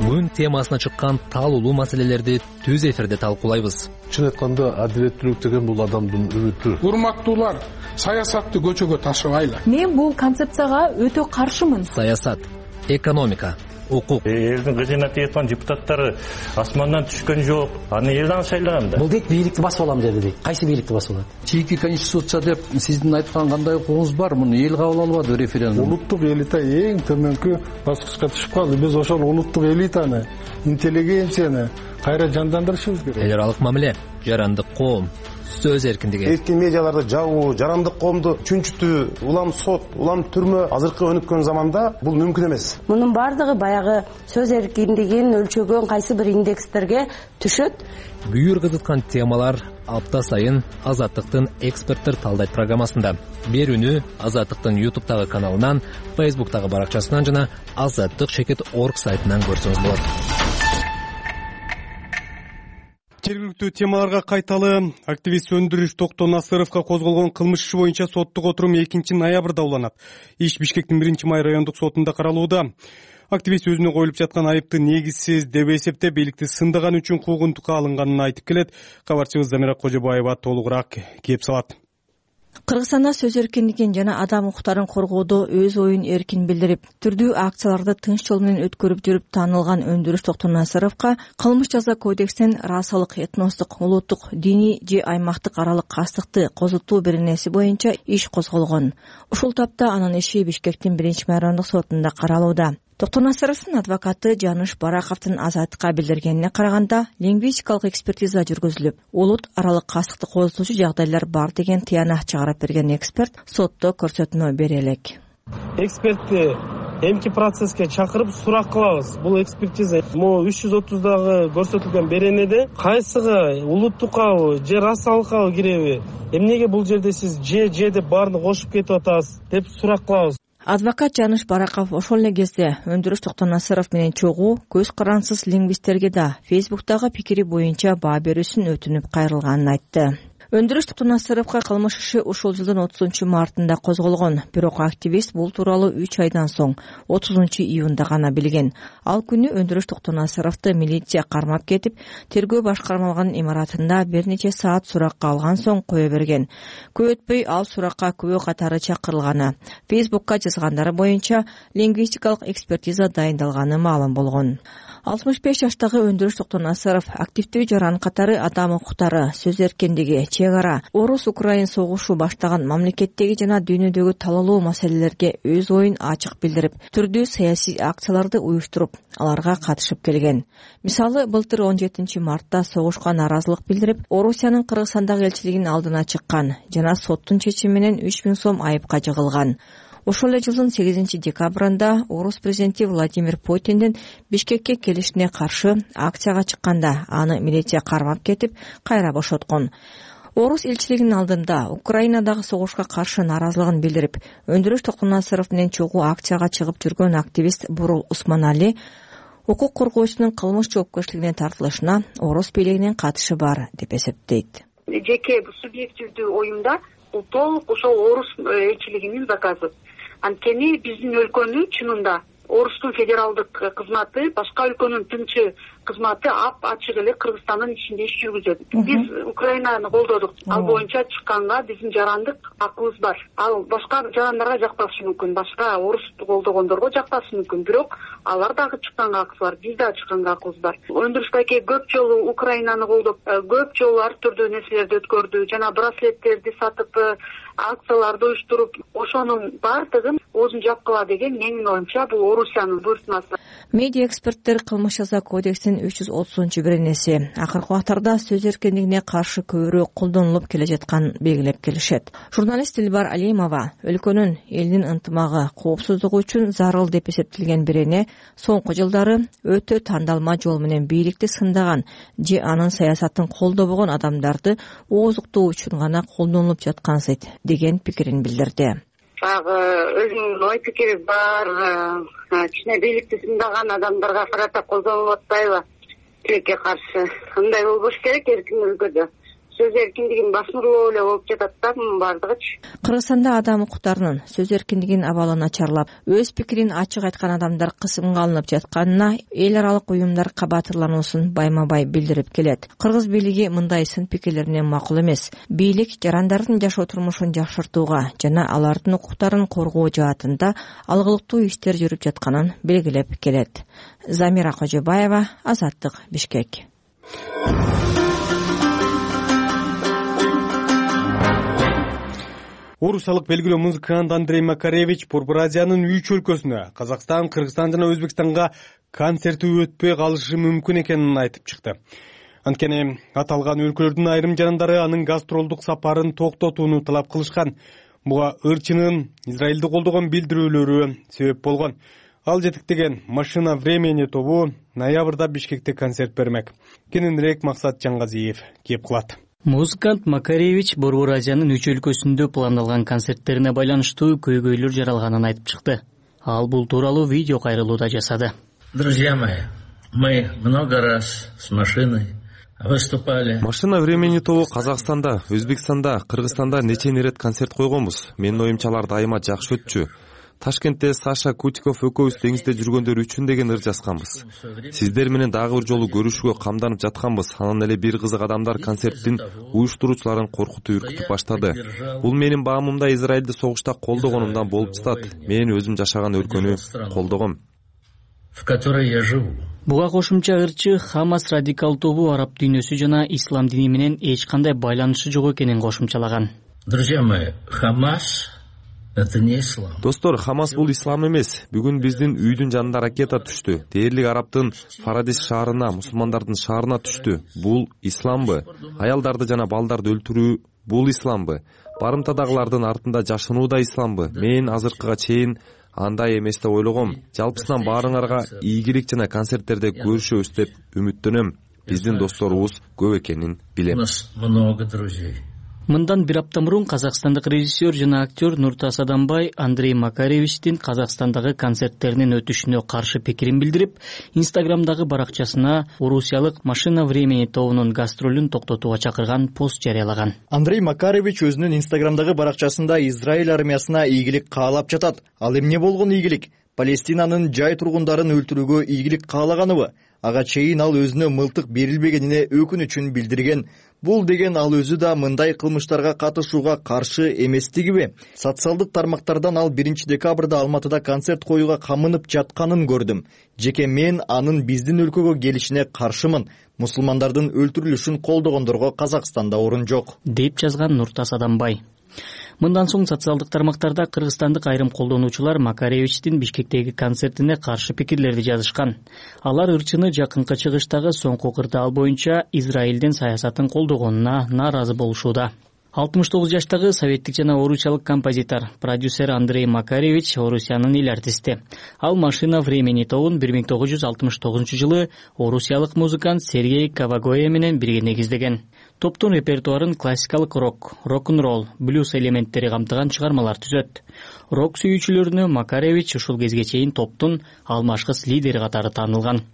Күн темасына чыккан талуулуу маселелерди түз эфирде талкуулайбыз.
Чын айтканда, адилеттүүлүк деген бул адамдын үмүтү.
Урматтуулар, саясатты көчөгө ташыбайлы.
Мен бул концепцияга өтө каршымын.
Саясат, экономика, укук.
Элдин кызына тиеткан депутаттары асмандан түшкөн жок. Аны элден шайлаган да.
Бул дейт бийликти басып алам деди дейт. Кайсы бийликти басып алат?
Чийки конституция деп сиздин айткан кандай укугуңуз бар? Муну эл кабыл албады референдум. Улуттук элита эң төмөнкү баскычка түшүп калды. Биз ошол улуттук элитаны, интеллигенцияны кайра жандандырышыбыз керек.
Эл аралык мамиле, жарандык коом, сөз эркиндиги.
Эркин медиаларды жабуу, жарандык коомду чүнчүтүү, улам сот, улам түрмө азыркы өнүккөн заманда бул мүмкүн эмес.
Мунун бардыгы баягы сөз эркиндигин өлчөгөн кайсы бир индекстерге түшөт.
Бүйүр кызыткан темалар апта сайын Азаттыктын эксперттер талдайт программасында. Берүүнү Азаттыктын YouTube'тагы каналынан, Facebook'тагы баракчасынан жана azattik.org сайтынан көрсөңүз болот.
Жергиликтүү темаларга кайталы. Активист Өндүрүш Токтоо Насыровго козголгон кылмыш иши боюнча соттук отурум 2-ноябрда уланат. Иш Бишкектин 1-май райондук сотунда каралууда. Активист өзүнө коюлуп жаткан айыпты негизсиз деп эсептеп, бийликти сындаган үчүн куугунтукка алынганын айтып келет. Кабарчыбыз Замира Кожобаева толугураак кеп салат.
Кыргызстанда сөз эркиндигин жана адам укуктарын коргоодо өз оюн эркин билдирип, түрдүү акцияларды тынч жол менен өткөрүп жүрүп таанылган Өндүрүш Токтонасыровго кылмыш жаза кодексинин расалык, этностук, улуттук, диний же аймактык аралык кастыкты козутуу беренеси боюнча иш козголгон. Ушул тапта анын иши Бишкектин 1-майрамдык сотунда каралууда. Токтонасыровдун адвокаты Жаныш Бараковдун Азаттыкка билдиргенине караганда, лингвистикалык экспертиза жүргүзүлүп, улут аралык кастыкты козутуучу жагдайлар бар деген тыянак чыгарып берген эксперт сотто көрсөтмө бере элек.
Экспертти эмки процесске чакырып сурак кылабыз. Бул экспертиза могу 330дагы көрсөтүлгөн беренеде кайсыга улуттукабы же расалыккабы киреби? Эмнеге бул жерде сиз же деп баарын кошуп кетип атасыз деп сурак кылабыз.
Адвокат Жаныш Бараков ошол эле кезде Өндүрүш Токтонасыров менен чогуу көз карансыз лингвисттерге да Фейсбуктагы пикири боюнча баа берүүсүн өтүнүп кайрылганын айтты. Өндүрүш Токтонасыровго кылмыш иши ушул жылдын 30-мартында козголгон. Бирок активист бул тууралуу 3 айдан соң 30-июнда гана билген. Ал күнү Өндүрүш Токтонасыровду милиция кармап кетип, тергөө башкармалыгынын имаратында бир нече саат суракка алган соң кое берген. Көп өтпөй ал суракка күбө катары чакырылганы, Фейсбукка жазгандары боюнча лингвистикалык экспертиза дайындалганы маалым болгон. 65 жаштагы Өндүрүш Токтонасыров активдүү жаран катары адам укуктары, сөз эркиндиги, чек ара, Орус-Украин согушу баштаган мамлекеттеги жана дүйнөдөгү талаалуу маселелерге өз оюн ачык билдирип, түрдүү саясий акцияларды уюштуруп, аларга катышып келген. Мисалы, былтыр 17-мартта согушка нааразылык билдирип, Орусиянын Кыргызстандагы элчилигинин алдына чыккан жана соттун чечими менен 3000 сом айыпка жыгылган. Ошол эле жылдын 8-декабрында Орус президенти Владимир Путиндин Бишкекке келишине каршы акцияга чыкканда аны милиция кармап кетип, кайра бошоткон. Орус элчилигинин алдында Украинадагы согушка каршы нааразылыгын билдирип, Өндүрүш Токтонасыров менен чогуу акцияга чыгып жүргөн активист Бурул Усманали укук коргоочунун кылмыш жоопкерчилигине тартылышына Орус бийлигинин катышы бар деп эсептейт.
Жеке субъективдүү оюмда бул толук ошол Орус элчилигинин заказы. Анткени биздин өлкөнү чынында Орустун федералдык кызматы, башка өлкөнүн тынчы кызматы ачык эле Кыргызстандын ичинде иш жүргүзөт. Биз Украинаны колдодук. Ал боюнча чыкканга биздин жарандык акыбыз бар. Ал башка жарандарга жакпашы мүмкүн, башка Орусту колдогондорго жакпашы мүмкүн. Бирок алар дагы чыкканга акыбыз бар, биз дагы чыкканга акыбыз бар. Өндүрүш байке көп жолу Украинаны колдоп, көп жолу ар түрдүү нерселерди өткөрдү, жана браслеттерди сатып, акцияларды уюштуруп, ошонун баардыгын өзүн жапкыла деген менин оюмча бул Орусиянын буйртмасы.
Медиа эксперттер кылмыш жаза кодексинин 330-беренеси акыркы убактарда сөз эркиндигине каршы көбүрөөк колдонулуп келе жатканын белгилеп келишет. Журналист Дилбар Алимова өлкөнүн элдин ынтымагы, коопсуздугу үчүн зарыл деп эсептелген берене соңку жылдары өтө тандалма жол менен бийликти сындаган же анын саясатын колдобогон адамдарды ооздуктоо үчүн гана колдонулуп жаткансыйт деген пикирин билдирди.
Өзүнүн ой пикири бар, кичине бийликти сындаган адамдарга карата колдонулуп атпайбы? Тилекке каршы. Кандай болбош керек эркин өлкөдө? Сөз эркиндигин басмырлоо эле болуп жатат да баардыгычы.
Кыргызстанда адам укуктарынын сөз эркиндигинин абалы начарлап, өз пикирин ачык айткан адамдар кысымга алынып жатканына эл аралык уюмдар кабатырлануусун байма-бай билдирип келет. Кыргыз бийлиги мындай сын пикирлерине макул эмес. Бийлик жарандардын жашоо турмушун жакшыртууга жана алардын укуктарын коргоо жаатында алгылыктуу иштер жүрүп жатканын белгилеп келет. Замира Кожобаева, Азаттык, Бишкек.
Орусиялык белгилүү музыкант Андрей Макаревич Борбор Азиянын 3 өлкөсүнө, Казакстан, Кыргызстан жана Өзбекстанга концерти өтпөй калышы мүмкүн экенин айтып чыкты. Анткени аталган өлкөлөрдүн айрым жарандары анын гастролдук сапарын токтотууну талап кылышкан. Буга ырчынын Израилди колдогон билдирүүлөрү себеп болгон. Ал жетектеген Машина времени тобу ноябрда Бишкекте концерт бермек. Кененирээк Максат Жаңгазиев кеп кылат.
Музыкант Макаревич Борбор Азиянын 3 өлкөсүндө пландалган концерттерине байланыштуу көйгөйлөр жаралганын айтып чыкты. Ал бул тууралуу видео кайрылууда жасады.
Друзья мои, мы много раз с машиной выступали.
Машина времени тобу Казакстанда, Өзбекстанда, Кыргызстанда нече ирет концерт койгонбуз. Менин оюмча алар дайыма жакшы өтчү. Ташкентте Саша Кутиков экөөбүз деңизде жүргөндөр үчүн деген ыр жазганбыз. Сиздер менен дагы бир жолу көрүшүүгө камданып жатканбыз. Анан эле бир кызык адамдар концерттин уюштуруучуларын коркутуп үркүтүп баштады. Бул менин баамымда Израилди согушта колдогонумдан болуп жатат. Мен өзүм жашаган өлкөнү колдогом,
в которой я живу.
Буга кошумча ырчы Хамас радикал тобу араб дүйнөсү жана ислам дини менен эч кандай байланышы жок экенин кошумчалаган.
Друзья мои, Хамас это не ислам.
Достор, Хамас бул ислам эмес. Бүгүн биздин үйдүн жанында ракета түштү. Дээрлик Араптын Фарадис шаарына, мусулмандардын шаарына түштү. Бул исламбы? Аялдарды жана балдарды өлтүрүү бул исламбы? Барымтадагылардын артында жашынуу да исламбы? Мен азыркыга чейин андай эмес деп ойлогом. Жалпысынан баарыңарга ийгилик жана концерттерде көрүшөбүз деп үмүттөнөм. Биздин досторубуз көп экенин билем.
У нас много друзей.
Мындан бир апта мурун казакстандык режиссер жана актер Нуртас Адамбай Андрей Макаревичтин Казакстандагы концерттеринин өтүшүнө каршы пикирин билдирип, Инстаграмдагы баракчасына орусиялык Машина времени тобунун гастролун токтотууга чакырган пост жарыялаган.
Андрей Макаревич өзүнүн Инстаграмдагы баракчасында Израиль армиясына ийгилик каалап жатат. Ал эмне болгон ийгилик? Палестинанын жай тургундарын өлтүрүүгө ийгилик каалаганыбы? Ага чейин ал өзүнө мылтык берилбегенине өкүнүчүн билдирген. Бул деген ал өзү да мындай кылмыштарга катышууга каршы эместигиби? Социалдык тармактардан ал 1 декабрда Алматыда концерт коюуга камынып жатканын көрдүм. Жеке мен анын биздин өлкөгө келишине каршымын. Мусулмандардын өлтүрүлүшүн колдогондорго Казакстанда орун жок,
деп жазган Нуртас Адамбай. Мындан соң социалдык тармактарда кыргызстандык айрым колдонуучулар Макаревичтин Бишкектеги концертине каршы пикирлерди жазышкан. Алар ырчыны жакынкы чыгыштагы соңку кырдаал боюнча Израилдин саясатын колдогонуна нааразы болушууда. 69 жаштагы советтик жана орусиялык композитор, продюсер Андрей Макаревич Орусиянын эл артисти. Ал Машина времени тобун 1969-жылы орусиялык музыкант Сергей Кавагоя менен бирге негиздеген. Топтун репертуарын классикалык рок, рок-н-ролл, блюз элементтери камтыган чыгармалар түзөт. Рок сүйүүчүлөрүнө Макаревич ушул кезге чейин топтун алмашкыс лидери катары таанылган.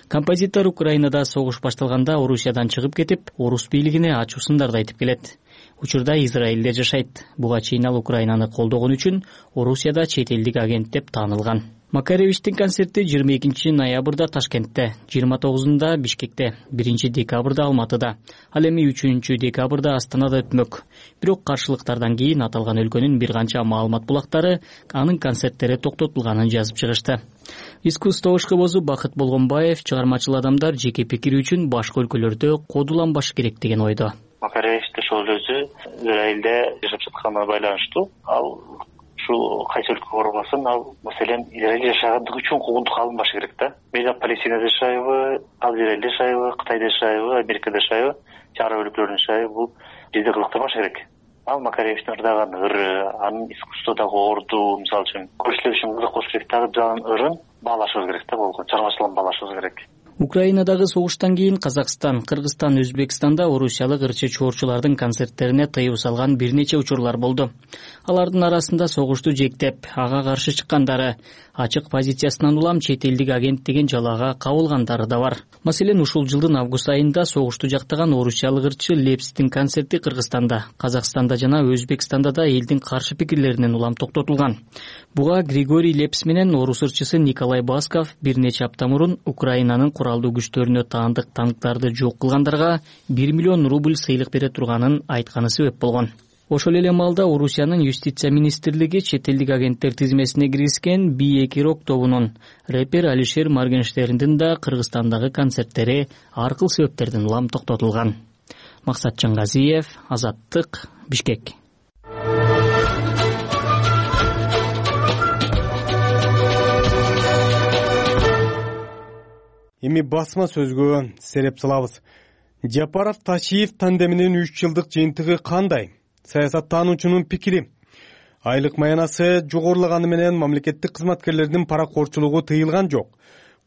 Композитор Украинада согуш башталганда Орусиядан чыгып кетип, орус бийлигине ачуу сындарды айтып келет. Учурда Израилде жашайт. Буга чейин ал Украинаны колдогон үчүн Орусияда чет элдик агент деп таанылган. Макаревичтин концерти 22 ноябрда Ташкентте, 29-да Бишкекте, 1 декабрда Алматыда, ал эми 3 декабрда Астанада өтмөк. Бирок каршылыктардан кийин аталган өлкөнүн бир канча маалымат булактары анын концерттери токтотулганын жазып чыгышты. Искусство ишкыбозу Бакыт Болгонбаев чыгармачыл адамдар жеке пикири үчүн башка өлкөлөрдө кодуланбашы керек деген ойдо.
Макаревич ошол өзү Израилде жашап жатканына байланыштуу. Ал ушул кайсы өлкөгө барбасын, ал маселен Израилде жашагандыгы үчүн куугунтукка алынбашы керек да. Мен Палестинада жашайбы, ал Израилде жашайбы, Кытайда жашайбы, Америкада жашайбы, араб өлкөлөрүндө жашайбы, бул бизде кызыктырбашы керек. Ал Макаревичтин ырдаган ыры, анын искусстводогу орду, мисалы үчүн көрүүчүлөр үчүн кызык болуш керек. Дагы анын ырын баалашыбыз керек да, болгон чыгармачылыгын баалашыбыз керек.
Украинадагы согуштан кийин Казакстан, Кыргызстан, Өзбекстанда орусиялык ырчы чоорчулардын концерттерине тыюу салган бир нече учурлар болду. Алардын арасында согушту жектеп, ага каршы чыккандары, ачык позициясынан улам чет элдик агент деген жалаага кабылгандары да бар. Маселен, ушул жылдын август айында согушту жактаган орусиялык ырчы Лепстин концерти Кыргызстанда, Казакстанда жана Өзбекстанда да элдин каршы пикирлеринен улам токтотулган. Буга Григорий Лепс менен орус ырчысы Николай Басков бир нече апта мурун Украинанын куралдуу күчтөрүнө таандык танктарды жок кылгандарга 1 миллион рубль сыйлык бере турганын айтканы себеп болгон. Ошол эле маалда Орусиянын юстиция министрлиги чет элдик агенттер тизмесине киргизген B2 рок тобунун рэпер Алишер Моргенштерндин да Кыргызстандагы концерттери ар кыл себептерден улам токтотулган. Максат Чангазиев, Азаттык, Бишкек.
Эми басма сөзгө сереп салабыз. Жапаров Ташиев тандеминин 3 жылдык жыйынтыгы кандай? Саясаттануучунун пикири. Айлык маянасы жогорулаганы менен мамлекеттик кызматкерлердин паракорчулугу тыйылган жок.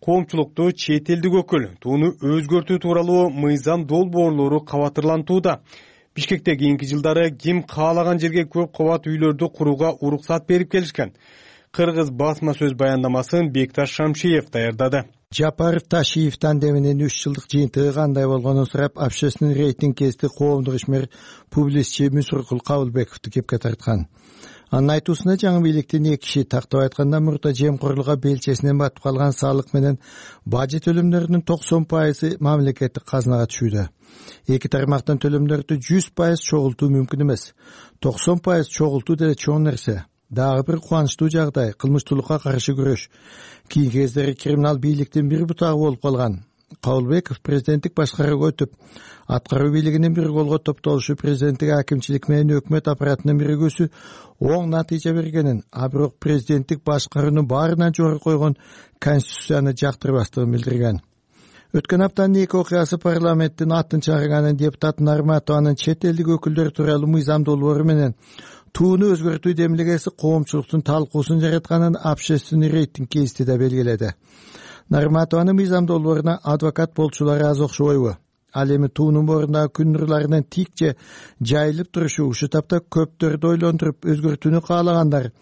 Коомчулукту чет элдик өкүл тууну өзгөртүү тууралуу мыйзам долбоорлору кабатырлантууда. Бишкекте кийинки жылдары ким каалаган жерге көп кабат үйлөрдү курууга уруксат берип келишкен. Кыргыз басма сөз баяндамасын Бекташ Шамшиев даярдады.
Жапаров Ташиевден деменин 3 жылдык жыйынтыгы кандай болгонун сурап, общественный рейтинг кести коомдук ишмер публицистчи Мусуркул Кабылбековду кепке тарткан. Анын айтуусунда жаңы бийликтин 2 киши тактап айтканда мурда жемкорлукка белчесинен батып калган салык менен бажы төлөмдөрүнүн 90% мамлекеттик казынага түшүүдө. Эки тармактан төлөмдөрдү 100% чогултуу мүмкүн эмес. 90% чогултуу деле чоң нерсе. Дагы бир кубанычтуу жагдай кылмыштуулукка каршы күрөш. Кийинки кездери криминал бийликтин бир бутагы болуп калган. Кабылбеков президенттик башкарууга өтүп, аткаруу бийлигинин бир колго топтолушу президенттик акимчилик менен өкмөт аппаратынын биригүүсү оң натыйжа бергенин, а бирок президенттик башкаруунун баарынан жогору койгон конституцияны жактырбастыгын билдирген. Өткөн аптанын 2 окуясы парламенттин атын чыгарганын депутат Нарматованын чет элдик өкүлдөр тууралуу мыйзам долбоору менен тууну өзгөртүү демилгеси коомчулуктун талкуусун жаратканын общественный рейтинг кести да белгиледи. Нарматованын мыйзам долбооруна адвокат болчулар аз окшобойбу? Ал эми туунун боорунда күн нурларынын тик же жайылып турушу ушул тапта көптөрдү ойлондуруп өзгөртүүнү каалагандар.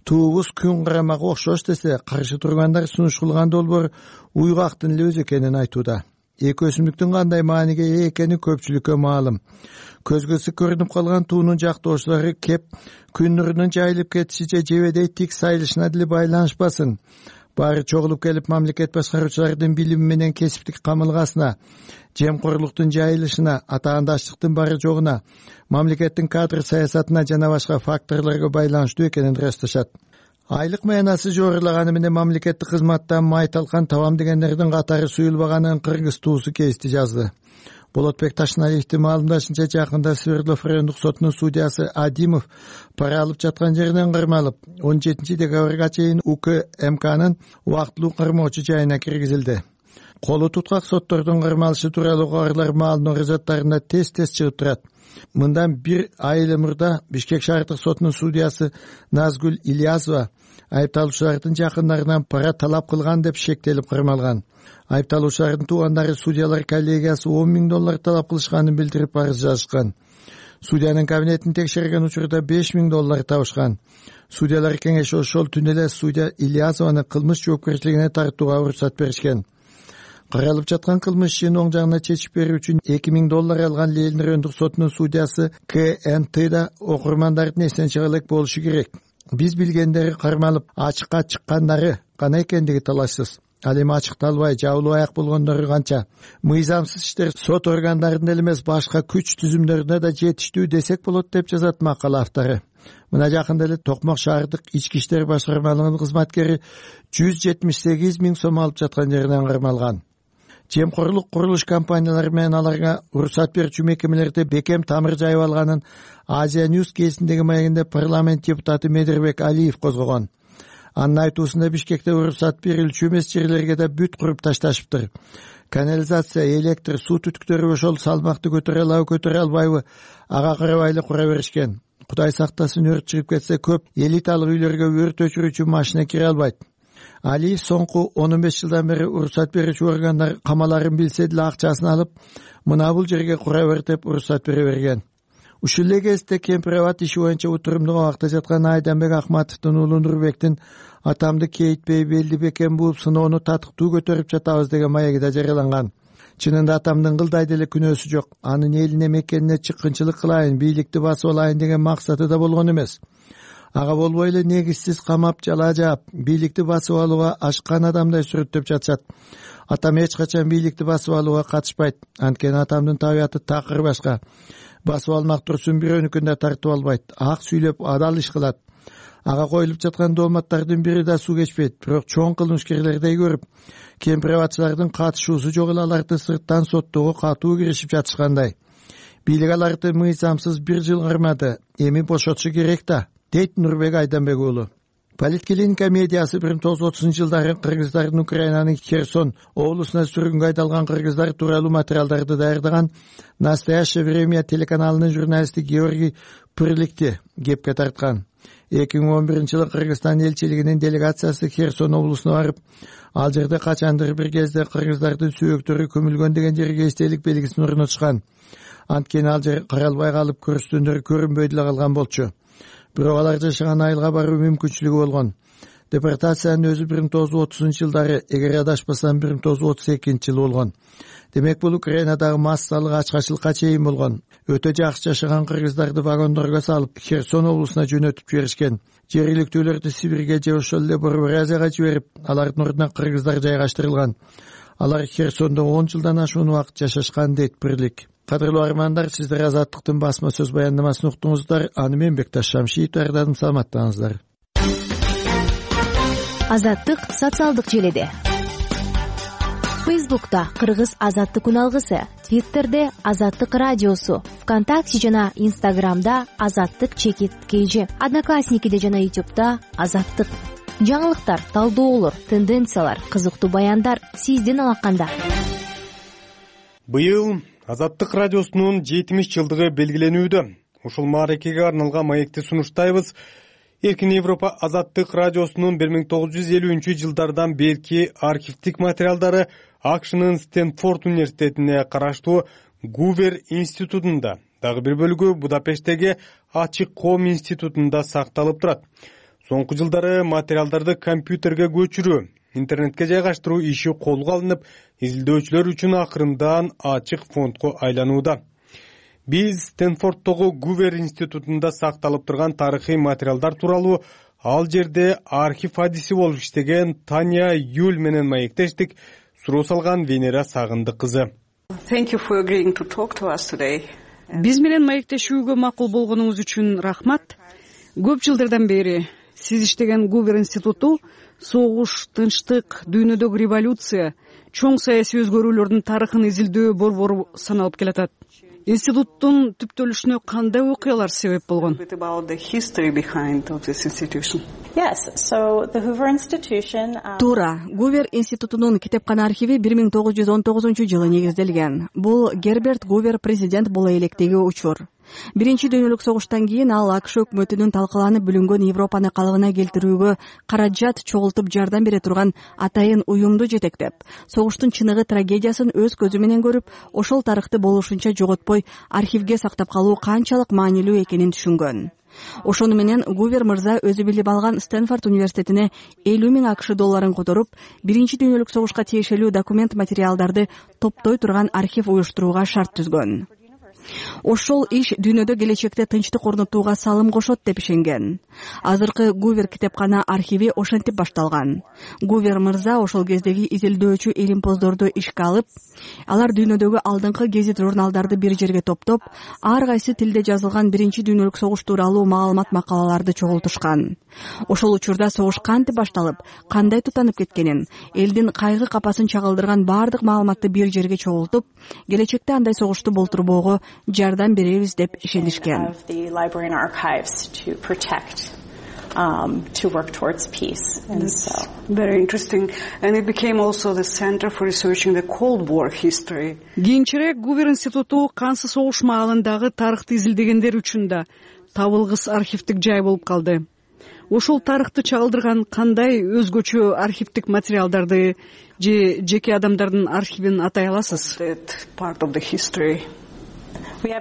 Туубуз күн карамага окшош десе, каршы тургандар сунуш кылган долбоор уйгактын эле өзү экенин айтууда. Эки өсүмдүктүн кандай мааниге ээ экени көпчүлүккө маалым. Көзгөсү көрүнүп калган туунун жактоочулары кеп күн нурунун жайылып кетиши же жебедей тик сайылышына деле байланышпасын. Баары чогулуп келип мамлекет башкаруучулардын билими менен кесиптик камылгасына, жемкорлуктун жайылышына, атаандаштыктын бары жогуна, мамлекеттин кадр саясатына жана башка факторлорго байланыштуу экенин ырасташат. Айлык маянасы жогорулаганы менен мамлекеттик кызматтан май талкан табам дегендердин катары суюлбаганын Кыргыз туусу кести жазды. Болотбек Ташналиевдин маалымдашынча, жакында Свердлов райондук сотунун судьясы Адимов пара алып жаткан жеринен кармалып, 17 декабрга чейин УКМКнын убактылуу кармоочу жайына киргизилди. Колу туткак соттордун кармалышы тууралуу кабарлар маалынуу газеттарында тез-тез чыгып турат. Мындан 1 ай эле мурда Бишкек шаардык сотунун судьясы Назгүл Ильязова айыпталуучулардын жакындарынан пара талап кылган деп шектелип кармалган. Айыпталуучулардын туугандары судьялар коллегиясы $10,000 талап кылышканын билдирип арыз жазышкан. Судьянын кабинетин текшерген учурда $5,000 табышкан. Судьялар кеңеши ошол түнү эле судья Ильязованы кылмыш жоопкерчилигине тартууга уруксат беришкен. Каралып жаткан кылмыш ишин оң жагына чечип берүү үчүн $2,000 алган Ленин райондук сотунун судьясы КНТ да окурмандардын эсен чыга элек болушу керек. Биз билгендери кармалып ачыкка чыккандары гана экендиги талашсыз. Ал эми ачыкталбай жабылып аяк болгондору канча? Мыйзамсыз иштер сот органдарында эле эмес, башка күч түзүмдөрүндө да жетиштүү десек болот деп жазат макала автору. Мына жакында эле Токмок шаардык ички иштер башкармалыгынын кызматкери 178 000 сом алып жаткан жеринен кармалган. Жемкорлук курулуш компаниялары менен аларга уруксат берүүчү мекемелерде бекем тамыр жайып алганын Азия Ньюс кезиндеги маегинде парламент депутаты Медербек Алиев козгогон. Анын айтуусунда Бишкекте уруксат берилчү эмес жерлерге да бүт куруп ташташыптыр. Канализация, электр, суу түтүктөрү ошол салмакты көтөрө албайбы, ага карабай эле кура беришкен. Кудай сактасын, өрт чыгып кетсе көп элиталык үйлөргө өрт өчүрүүчү машина кире албайт. Алиев соңку 15 жылдан бери уруксат берүүчү органдар камаларын билсе деле акчасын алып, мына бул жерге кура бер деп уруксат бере берген. Ушул эле кезде Кемпирабад иши боюнча утурумдуу абакта жаткан Айданбек Акматовдун уулу Нурбектин атамды кейитпей белди бекем бууп сыноону татыктуу көтөрүп жатабыз деген маеги да жарыяланган. Чынында атамдын кылдай деле күнөөсү жок. Анын элине мекенине чыккынчылык кылайын, бийликти басып алайын деген максаты да болгон эмес. Ага болбой эле негизсиз камап жала жаап, бийликти басып алууга ашкан адамдай сүрөттөп жатышат. Атам эч качан бийликти басып алууга катышпайт. Анткени атамдын табияты такыр башка. Басып алмак турсун бирөөнүкүн да тартып албайт. Ак сүйлөп адал иш кылат. Ага коюлуп жаткан дооматтардын бири да суу кечпейт. Бирок чоң кылмышкерлердей көрүп, кемпирабадчылардын катышуусу жок эле аларды сырттан соттоого катуу киришип жатышкандай. Бийлик аларды мыйзамсыз 1 жыл кармады. Эми бошотушу керек да, дейт Нурбек Айданбек уулу. Политклиника медиасы 1930-жылдары кыргыздардын Украинанын Херсон облусуна сүргүнгө айдалган кыргыздар тууралуу материалдарды даярдаган «Настоящее время» телеканалынын журналисти Георгий Пырликти кепке тарткан. 2011-жылы Кыргызстан элчилигинин делегациясы Херсон облусуна барып, ал жерде качандыр бир кезде кыргыздардын сүйөктөрү көмүлгөн деген жерге эстелик белгисин орнотушкан. Анткени ал жер каралбай калып, көрүстөндөр көрүнбөй деле калган болчу. Бирок алар жашаган айылга баруу мүмкүнчүлүгү болгон. Депортациянын өзү 1930-жылдары, эгер адашпасам 1932-жылы болгон. Демек бул Украинадагы массалык ачкачылыкка чейин болгон. Өтө жакшы жашаган кыргыздарды вагондорго салып, Херсон облусуна жөнөтүп жиберишкен. Жергиликтүүлөрдү Сибирге же ошол эле Бурятияга жиберип, алардын ордуна кыргыздар жайгаштырылган. Алар Херсондо 10 жылдан ашуун убакыт жашашкан дейт бирлик. Кадырлуу армандар, сиздер Азаттыктын басма сөз баяндамасын уктуңуздар. Аны мен Бекташ Шамшиев даярдадым. Саламаттаңыздар.
Азаттык социалдык желеде. Фейсбукта Кыргыз Азаттык үналгысы, Твиттерде Азаттык радиосу, ВКонтакте жана Инстаграмда Азаттык_KG, Одноклассникиде жана Ютубта Азаттык. Жаңылыктар, талдоолор, тенденциялар, кызыктуу баяндар сиздин алаканда.
Быйыл Азаттык радиосунун 70 жылдыгы белгиленүүдө. Ушул мааракеге арналган маекти сунуштайбыз. Эркин Европа Азаттык радиосунун 1950-жылдардан берки архивдик материалдары АКШнын Стэнфорд университетине караштуу Гувер институтунда, дагы бир бөлүгү Будапешттеги Ачык коом институтунда сакталып турат. Соңку жылдары материалдарды компьютерге көчүрүү, интернетке жайгаштыруу иши колго алынып, изилдөөчүлөр үчүн акырындан ачык фондко айланууда. Биз Стэнфордтогу Гувер институтунда сакталып турган тарыхый материалдар тууралуу ал жерде архив адиси болуп иштеген Таня Юль менен маектештик. Суроо салган Венера Сагындык кызы.
Биз менен маектешүүгө макул болгонуңуз үчүн рахмат. Көп жылдардан бери сиз иштеген Гувер институту согуш, тынчтык, дүйнөдөгү революция, чоң саясий өзгөрүүлөрдүн тарыхын изилдөө борбору саналып келатат. Институттун түптөлүшүнө кандай окуялар себеп болгон?
Туура, Гувер институтунун китепкана архиви 1919-жылы негизделген. Бул Герберт Гувер президент боло электеги учур. Биринчи дүйнөлүк согуштан кийин ал АКШ өкмөтүнүн талкаланып бүлүнгөн Европаны калыбына келтирүүгө каражат чогултуп жардам бере турган атайын уюмду жетектеп, согуштун чыныгы трагедиясын өз көзү менен көрүп, ошол тарыхты болушунча жоготпой архивге сактап калуу канчалык маанилүү экенин түшүнгөн. Ошону менен Гувер мырза өзү билип алган Стэнфорд университетине 50 000 АКШ долларын которуп, биринчи дүйнөлүк согушка тиешелүү документ материалдарды топтой турган архив уюштурууга шарт түзгөн. Ошол иш дүйнөдө келечекте тынчтык орнотууга салым кошот деп ишенген. Азыркы Гувер китепкана архиви ошентип башталган. Гувер мырза ошол кездеги изилдөөчү илимпоздорду ишке алып, алар дүйнөдөгү алдыңкы гезит журналдарды бир жерге топтоп, ар кайсы тилде жазылган биринчи дүйнөлүк согуш тууралуу маалымат макалаларды чогултушкан. Ошол учурда согуш кантип башталып, кандай тутанып кеткенин, элдин кайгы капасын чагылдырган баардык маалыматты бир жерге чогултуп, келечекте андай согушту болтурбоого жардам беребиз деп ишенишкен.
To work towards peace. And so very interesting. And it became also the center for researching the Cold War history. Кийинчерээк Гувер институту кансыз согуш маалындагы тарыхты изилдегендер үчүн да табылгыс архивдик жай болуп калды. Ошол тарыхты чагылдырган кандай өзгөчө архивдик материалдарды же жеке адамдардын архивин атай аласыз? Part of the history.
Биз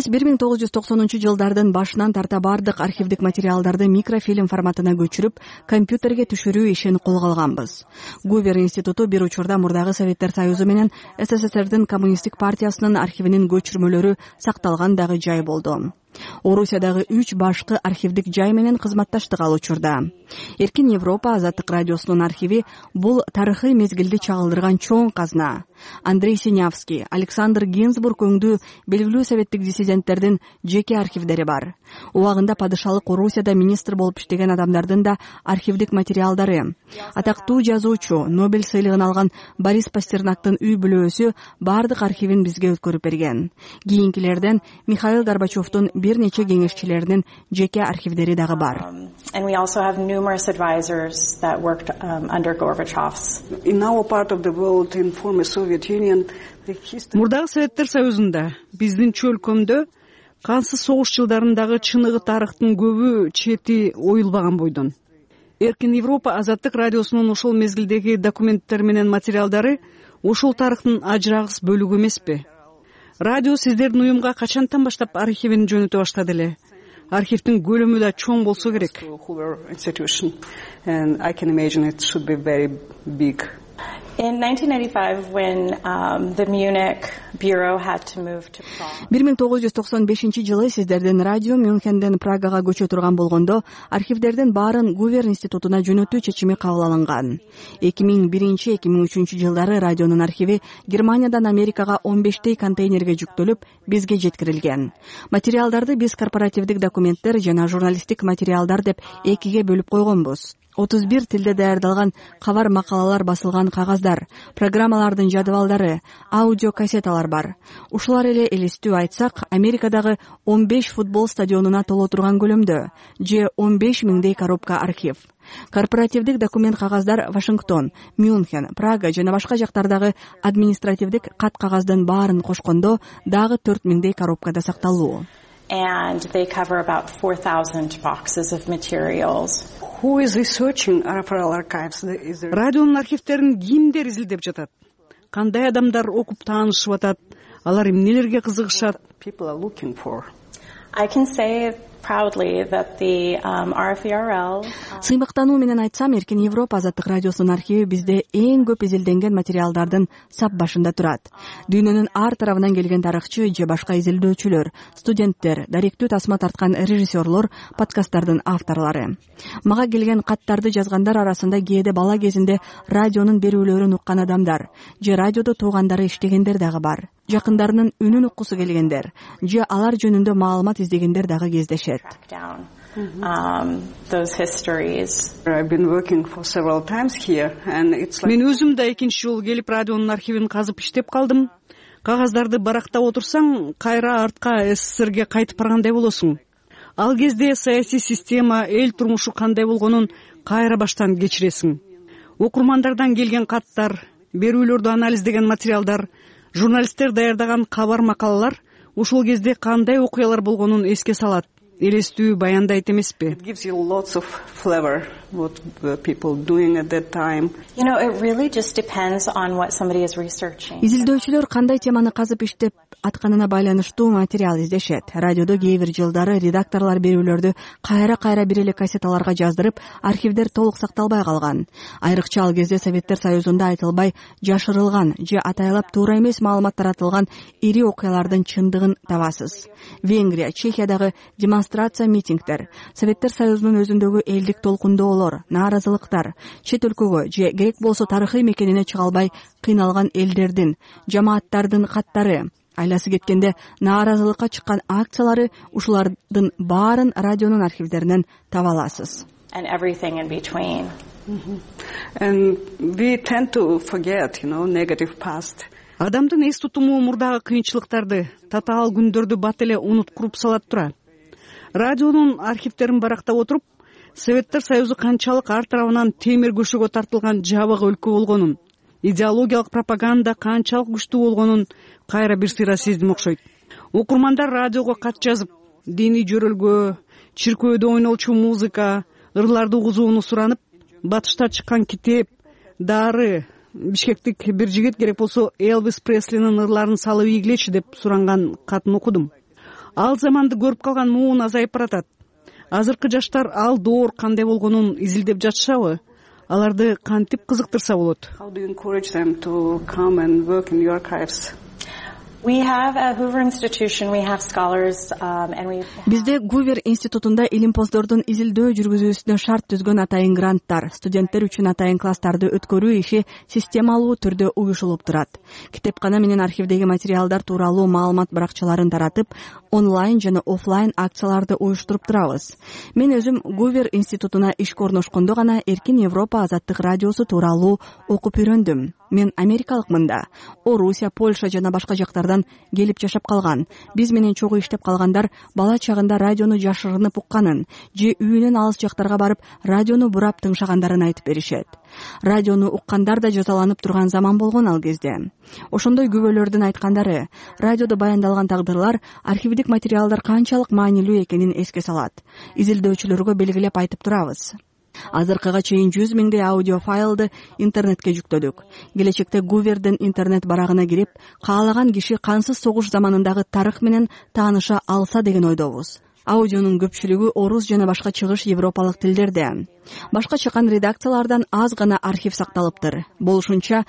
1990-жылдардын башынан тарта бардык архивдик материалдарды микрофильм форматына көчүрүп, компьютерге түшүрүү ишин колго алганбыз. Гувер институту бир учурда мурдагы Советтер Союзу менен СССРдин коммунисттик партиясынын архивинин көчүрмөлөрү сакталган дагы жай болду. Орусиядагы 3 башкы архивдик жай менен кызматташтык ал учурда. Эркин Европа Азаттык радиосунун архиви бул тарыхый мезгилди чагылдырган чоң казна. Андрей Синявский, Александр Гинзбург өңдүү белгилүү советтик диссиденттердин жеке архивдери бар. Убагында падышалык Орусияда министр болуп иштеген адамдардын да архивдик материалдары. Атактуу жазуучу, Нобель сыйлыгын алган Борис Пастернактын үй бүлөөсү бардык архивин бизге өткөрүп берген. Кийинкилерден Михаил Горбачевдун бир нече кеңешчилеринин жеке архивдери дагы бар.
And we also have numerous advisors that worked under Gorbachev's.
In our part of the world, in former Soviet Union, мурдагы Советтер Союзунда, биздинчи өлкөмдө кансыз согуш жылдарындагы чыныгы тарыхтын көбү чети оюлбаган бойдон. Эркин Европа Азаттык радиосунун ошол мезгилдеги документтер менен материалдары ошол тарыхтын ажырагыс бөлүгү эмеспи? Радио сиздердин уюмга качантан баштап архивин жөнөтө баштады эле? архивдин көлөмү да чоң болсо керек.
In 1995, when the Munich bureau had to move to Prague.
1995-жылы сиздердин радио Мюнхенден Прагага көчө турган болгондо архивдердин баарын Гувер институтуна жөнөтүү чечими кабыл алынган. 2001-2003 жылдары радионун архиви Германиядан Америкага 15 контейнерге жүктөлүп, бизге жеткирилген. Материалдарды биз корпоративдик документтер жана журналисттик материалдар деп экиге бөлүп койгонбуз. 31 тилде даярдалган кабар макалалар басылган кагаздар, программалардын жадыбалдары, аудио кассеталар бар. Ушулар эле элестүү айтсак, Америкадагы 15 футбол стадионуна толо турган көлөмдө, же 15 миңдей коробка архив. Корпоративдик документ кагаздар Вашингтон, Мюнхен, Прага жана башка жактардагы административдик кат кагаздын баарын кошкондо дагы 4 миңдей коробкада сакталуу.
And they cover about 4,000 boxes of materials.
Who is researching RFRL archives? Радионун архивтерин кимдер изилдеп жатат? Кандай адамдар окуп таанышып атат? Алар эмнелерге кызыгышат? People are looking for.
I can say proudly that the RFRL.
Сыймыктануу менен айтсам, Эркин Европа азаттык радиосунун архиви бизде эң көп изилденген материалдардын сап башында турат. Дүйнөнүн ар тарабынан келген тарыхчы же башка изилдөөчүлөр, студенттер, даректүү тасма тарткан режиссерлор, подкасттардын авторлору. Мага келген каттарды жазгандар арасында кээде бала кезинде радионун берүүлөрүн уккан адамдар, же радиодо туугандары иштегендер дагы бар. Жакындарынын үнүн уккусу келгендер, же алар жөнүндө маалымат издегендер дагы кездешет.
Those histories.
I've been working for several times here and it's like Мен өзүм да экинчи жолу келип радионун архивин казып иштеп калдым. Кагаздарды барактап отурсаң, кайра артка СССРге кайтып баргандай болосуң. Ал кезде саясий система, эл турмушу кандай болгонун кайра баштан кечиресиң. Окурмандардан келген каттар, берүүлөрдү анализдеген материалдар, журналисттер даярдаган кабар макалалар ушул кезде кандай окуялар болгонун эске салат. Элестүү баяндайт эмеспи? It gives you lots of flavor what the people doing at that time.
You know, it really just depends on what somebody is researching.
Изилдөөчүлөр кандай теманы казып иштеп атканына байланыштуу материал издешет. Радиодо кээ бир жылдары редакторлор берүүлөрдү кайра бир эле кассеталарга жаздырып, архивдер толук сакталбай калган. Айрыкча ал кезде Советтер Союзунда айтылбай, жашырылган же атайлап туура эмес маалымат таратылган ири окуялардын чындыгын табасыз. Венгрия, Чехиядагы демонстрация митингдер, Советтер Союзунун өзүндөгү элдик толкундоолор, нааразылыктар, чет өлкөгө же керек болсо тарыхый мекенине чыга албай кыйналган элдердин, жамааттардын каттары, айласы кеткенде нааразылыкка чыккан акциялары, ушулардын баарын радионун архивдеринен таба аласыз.
And everything in between.
And we tend to forget, negative past. Адамдын эс тутуму мурдагы кыйынчылыктарды, татаал күндөрдү бат эле унуткуруп салат тура. Радионун архивтерин барактап отуруп, Советтер Союзу канчалык ар тарабынан темир көшөгө тартылган жабык өлкө болгонун, идеологиялык пропаганда канчалык күчтүү болгонун кайра бир сыйра сездим окшойт. Окурмандар радиого кат жазып, диний жөрөлгө, чиркөөдө ойнолчу музыка, ырларды угузууну суранып, батышта чыккан китеп, дары, Бишкектик бир жигит керек болсо Элвис Преслинин ырларын салып ийгилечи деп суранган катын окудум. Ал заманды көрүп калган муун азайып баратат. Азыркы жаштар ал доор кандай болгонун изилдеп жатышабы? Аларды кантип кызыктырса болот? How do you encourage them to come and work in your archives?
We have a Hoover institution, we have scholars, and we...
Бизде Гувер институтунда илимпоздордун изилдөө жүргүзүүсүнө шарт түзгөн атайын гранттар, студенттер үчүн атайын класстарды өткөрүү иши системалуу түрдө уюшулуп турат. Китепкана менен архивдеги материалдар тууралуу маалымат баракчаларын таратып, онлайн жана офлайн акцияларды уюштуруп турабыз. Мен өзүм Гувер институтуна ишке орношкондо гана Эркин Европа азаттык радиосу тууралуу окуп үйрөндүм. Мен америкалыкмын да. Орусия, Польша жана башка жактардан келип жашап калган. Биз менен чогуу иштеп калгандар бала чагында радиону жашырынып укканын, же үйүнөн алыс жактарга барып радиону бурап тыңшагандарын айтып беришет. Радиону уккандар да жазаланып турган заман болгон ал кезде. Ошондой күбөлөрдүн айткандары, радиодо баяндалган тагдырлар, архивдик материалдар канчалык маанилүү экенин эске салат. Изилдөөчүлөргө белгилеп айтып турабыз. Азыркыга чейин 100 миңдей аудио файлды интернетке жүктөдүк. Келечекте Гувердин интернет барагына кирип, каалаган киши кансыз согуш заманындагы тарых менен тааныша алса деген ойдобуз. Аудионун көпчүлүгү орус жана башка чыгыш европалык тилдерде. Башка чыккан редакциялардан аз гана архив сакталыптыр. Болушунча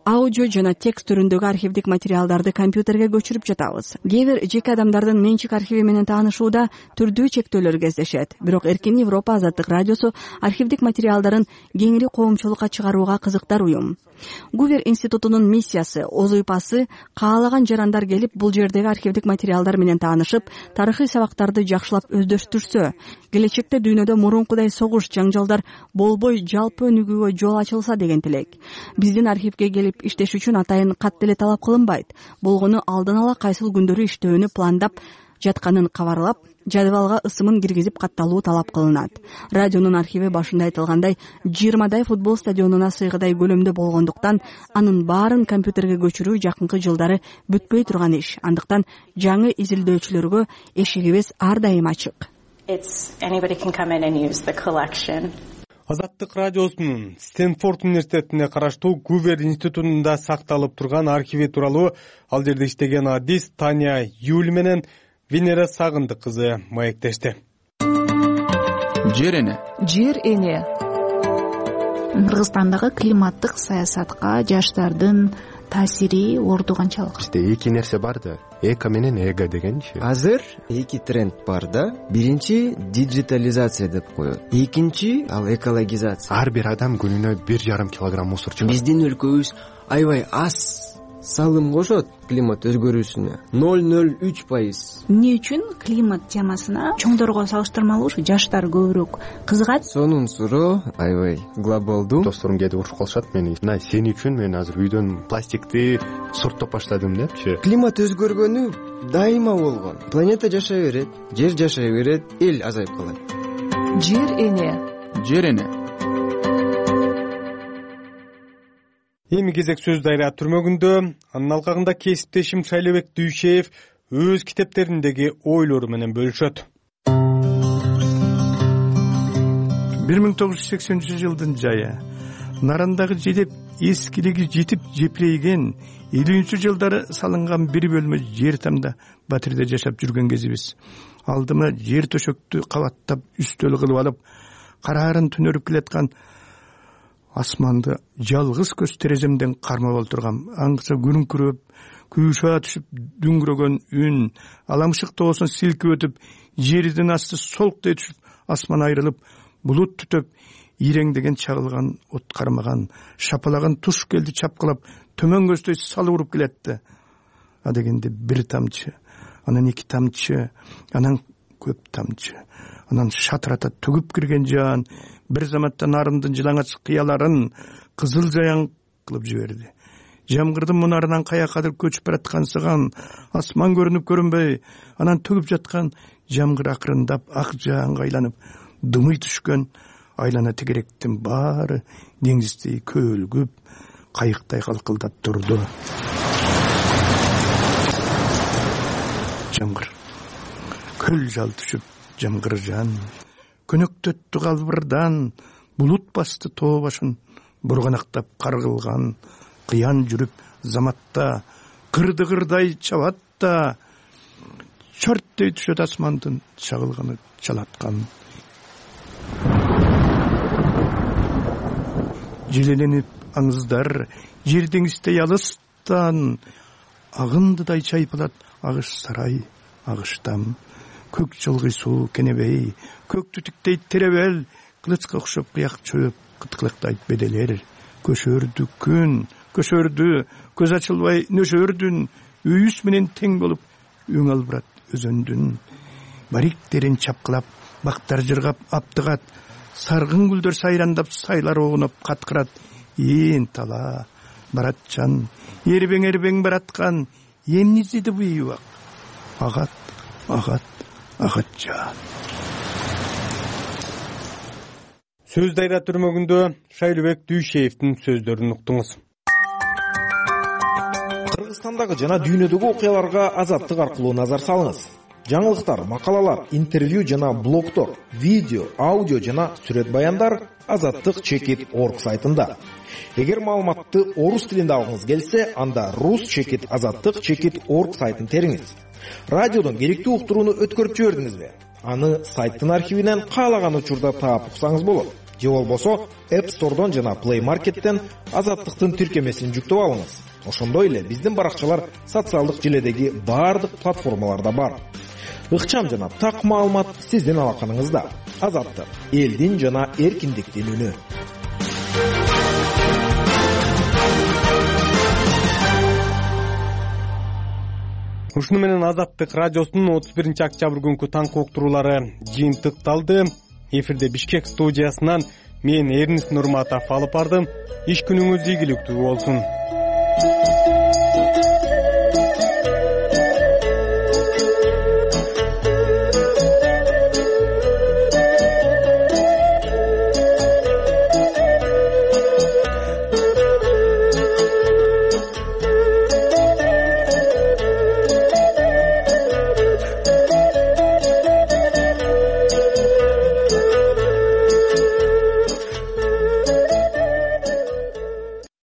аудио жана текст түрүндөгү архивдик материалдарды компьютерге көчүрүп жатабыз. Кээ бир жеке адамдардын менчик архиви менен таанышууда түрдүү чектөөлөр кездешет. Бирок Эркин Европа Азаттык радиосу архивдик материалдарын кеңири коомчулукка чыгарууга кызыктар уюм. Гувер институтунун миссиясы, озуйпасы каалаган жарандар келип бул жердеги архивдик материалдар менен таанышып, тарыхый сабактарды жакшылап өздөштүрсө, келечекте дүйнөдө мурункудай согуш, жаңжалдар болбой жалпы өнүгүүгө жол ачылса деген тилек. Биздин архивге келип иштеш үчүн атайын кат деле талап кылынбайт. Болгону алдын ала кайсыл күндөрү иштөөнү пландап жатканын кабарлап, жадыбалга ысымын киргизип катталуу талап кылынат. Радионун архиви башында айтылгандай 20 футбол стадионуна сыйгыдай көлөмдө болгондуктан анын баарын компьютерге көчүрүү жакынкы жылдары бүтпөй турган иш. Андыктан жаңы изилдөөчүлөргө эшигибиз ар дайым ачык.
Азаттык радиосунун Стэнфорд университетине караштуу Гувер институтунда сакталып турган архиви тууралуу ал жерде иштеген адис Таня Юль менен Венера Сагындык кызы маектешти.
Жер эне. Кыргызстандагы климаттык саясатка жаштардын таасири орду канчалык?
Эки нерсе бар да, эко менен эго дегенчи.
Азыр эки тренд бар да. Биринчи диджитализация деп коет. Экинчи ал экологизация.
Ар бир адам күнүнө 1,5 килограмм мусор чыгат.
Биздин өлкөбүз аябай аз салым кошот климат өзгөрүүсүнө. 0,03%.
Эмне үчүн климат темасына чоңдорго салыштырмалуу ушу жаштар көбүрөөк кызыгат?
Сонун суроо аябай глобалдуу.
Досторум кээде урушуп калышат мени. Мына сен үчүн мен азыр үйдөн пластикти сурттоп баштадым депчи.
Климат өзгөргөнү дайыма болгон. Планета жашай берет, жер жашай берет, эл азайып калат.
Жер эне.
Эми кезек сөз дайра түрмөгүндө. Анын алкагында кесиптешим Шайлебек Дүйшеев өз китептериндеги ойлору менен бөлүшөт.
1980-жылдын жайы. Нарандагы жедеп эскилиги жетип жепирейген 50-жылдары салынган бир бөлмө жер тамда батирде жашап жүргөн кезибиз. Алдыма жер төшөктү кабаттап үстөл кылып алып, караарын түнөрүп келаткан асманды жалгыз көз тереземден кармап олтургам. Аңгыса күрүңкүрөп, күйшаа түшүп дүңгүрөгөн үн, аламшык тоосун силкип өтүп, жердин асты солктой түшүп, асман айрылып, булут түтөп, иреңдеген чагылган от кармаган, шапалаган туш келди чапкылап, төмөн көздөй салып уруп келетти. А дегенде бир тамчы, анан эки тамчы, анан көп тамчы, анан шатырата төгүп кирген жан бир заматта нарымдын жылаңач кыяларын кызыл жаяң кылып жиберди. Жамгырдын мунарынан каякадыр көчүп бараткансыган асман көрүнүп көрүнбөй, анан төгүп жаткан жамгыр акырындап ак жааңга айланып, дымый түшкөн айлана тегеректин баары деңиздей көөлгүп, кайыктай калкылдап турду. Жамгыр көл жал түшүп, жамгыр жан көнөктөттү калбырдан, булут басты тоо башын, бурганактап каргылган, кыян жүрүп заматта, кырдыгырдай чабат да, чөрттөй түшөт асмандын чагылганы чалаткан. Желеленип аңыздар, жер деңиздей алыстан, агындыдай чайпалат агыш сарай, агыштам. Көк чылгый суу кенебей, көк түтүктей теребел, кылычка окшоп кыяк чөп, кыткылыктайт беделер. Көшөрдү күн, көшөрдү, көз ачылбай нөшөрдүн, үйүс менен тең болуп, өң албырат өзөндүн. Бариктерин чапкылап, бактар жыргап аптыгат, саргын гүлдөр сайрандап, сайлар огунуп каткырат. Ээн тала, баратчан, эрбең бараткан, эмнизиди буйбак. Агат, агатча.
Сөз дайра түрмөгүндө Шайлебек Дүйшеевдин сөздөрүн уктуңуз.
Кыргызстандагы жана дүйнөдөгү окуяларга Азаттык аркылуу назар салыңыз. Жаңылыктар, макалалар, интервью жана блогтор, видео, аудио жана сүрөт баяндар azattik.org сайтында. Эгер маалыматты орус тилинде алгыңыз келсе, анда rus.azattik.org сайтын териңиз. Радиодон керектүү уктурууну өткөрүп жибердиңизби? аны сайттын архивинен каалаган учурда таап уксаңыз болот. Же болбосо App Store'дон жана Play Market'тен Азаттыктын тиркемесин жүктөп алыңыз. Ошондой эле биздин баракчалар социалдык желедеги баардык платформаларда бар. Ыкчам жана так маалымат сиздин алаканыңызда. Азаттык — элдин жана эркиндиктин үнү.
Ушуну менен Азаттык радиосунун 31 октябрь күнкү таңкы уктуруулары жыйынтыкталды. Эфирде Бишкек студиясынан мен Эрнис Нурматов алып бардым. Иш күнүңүз ийгиликтүү болсун.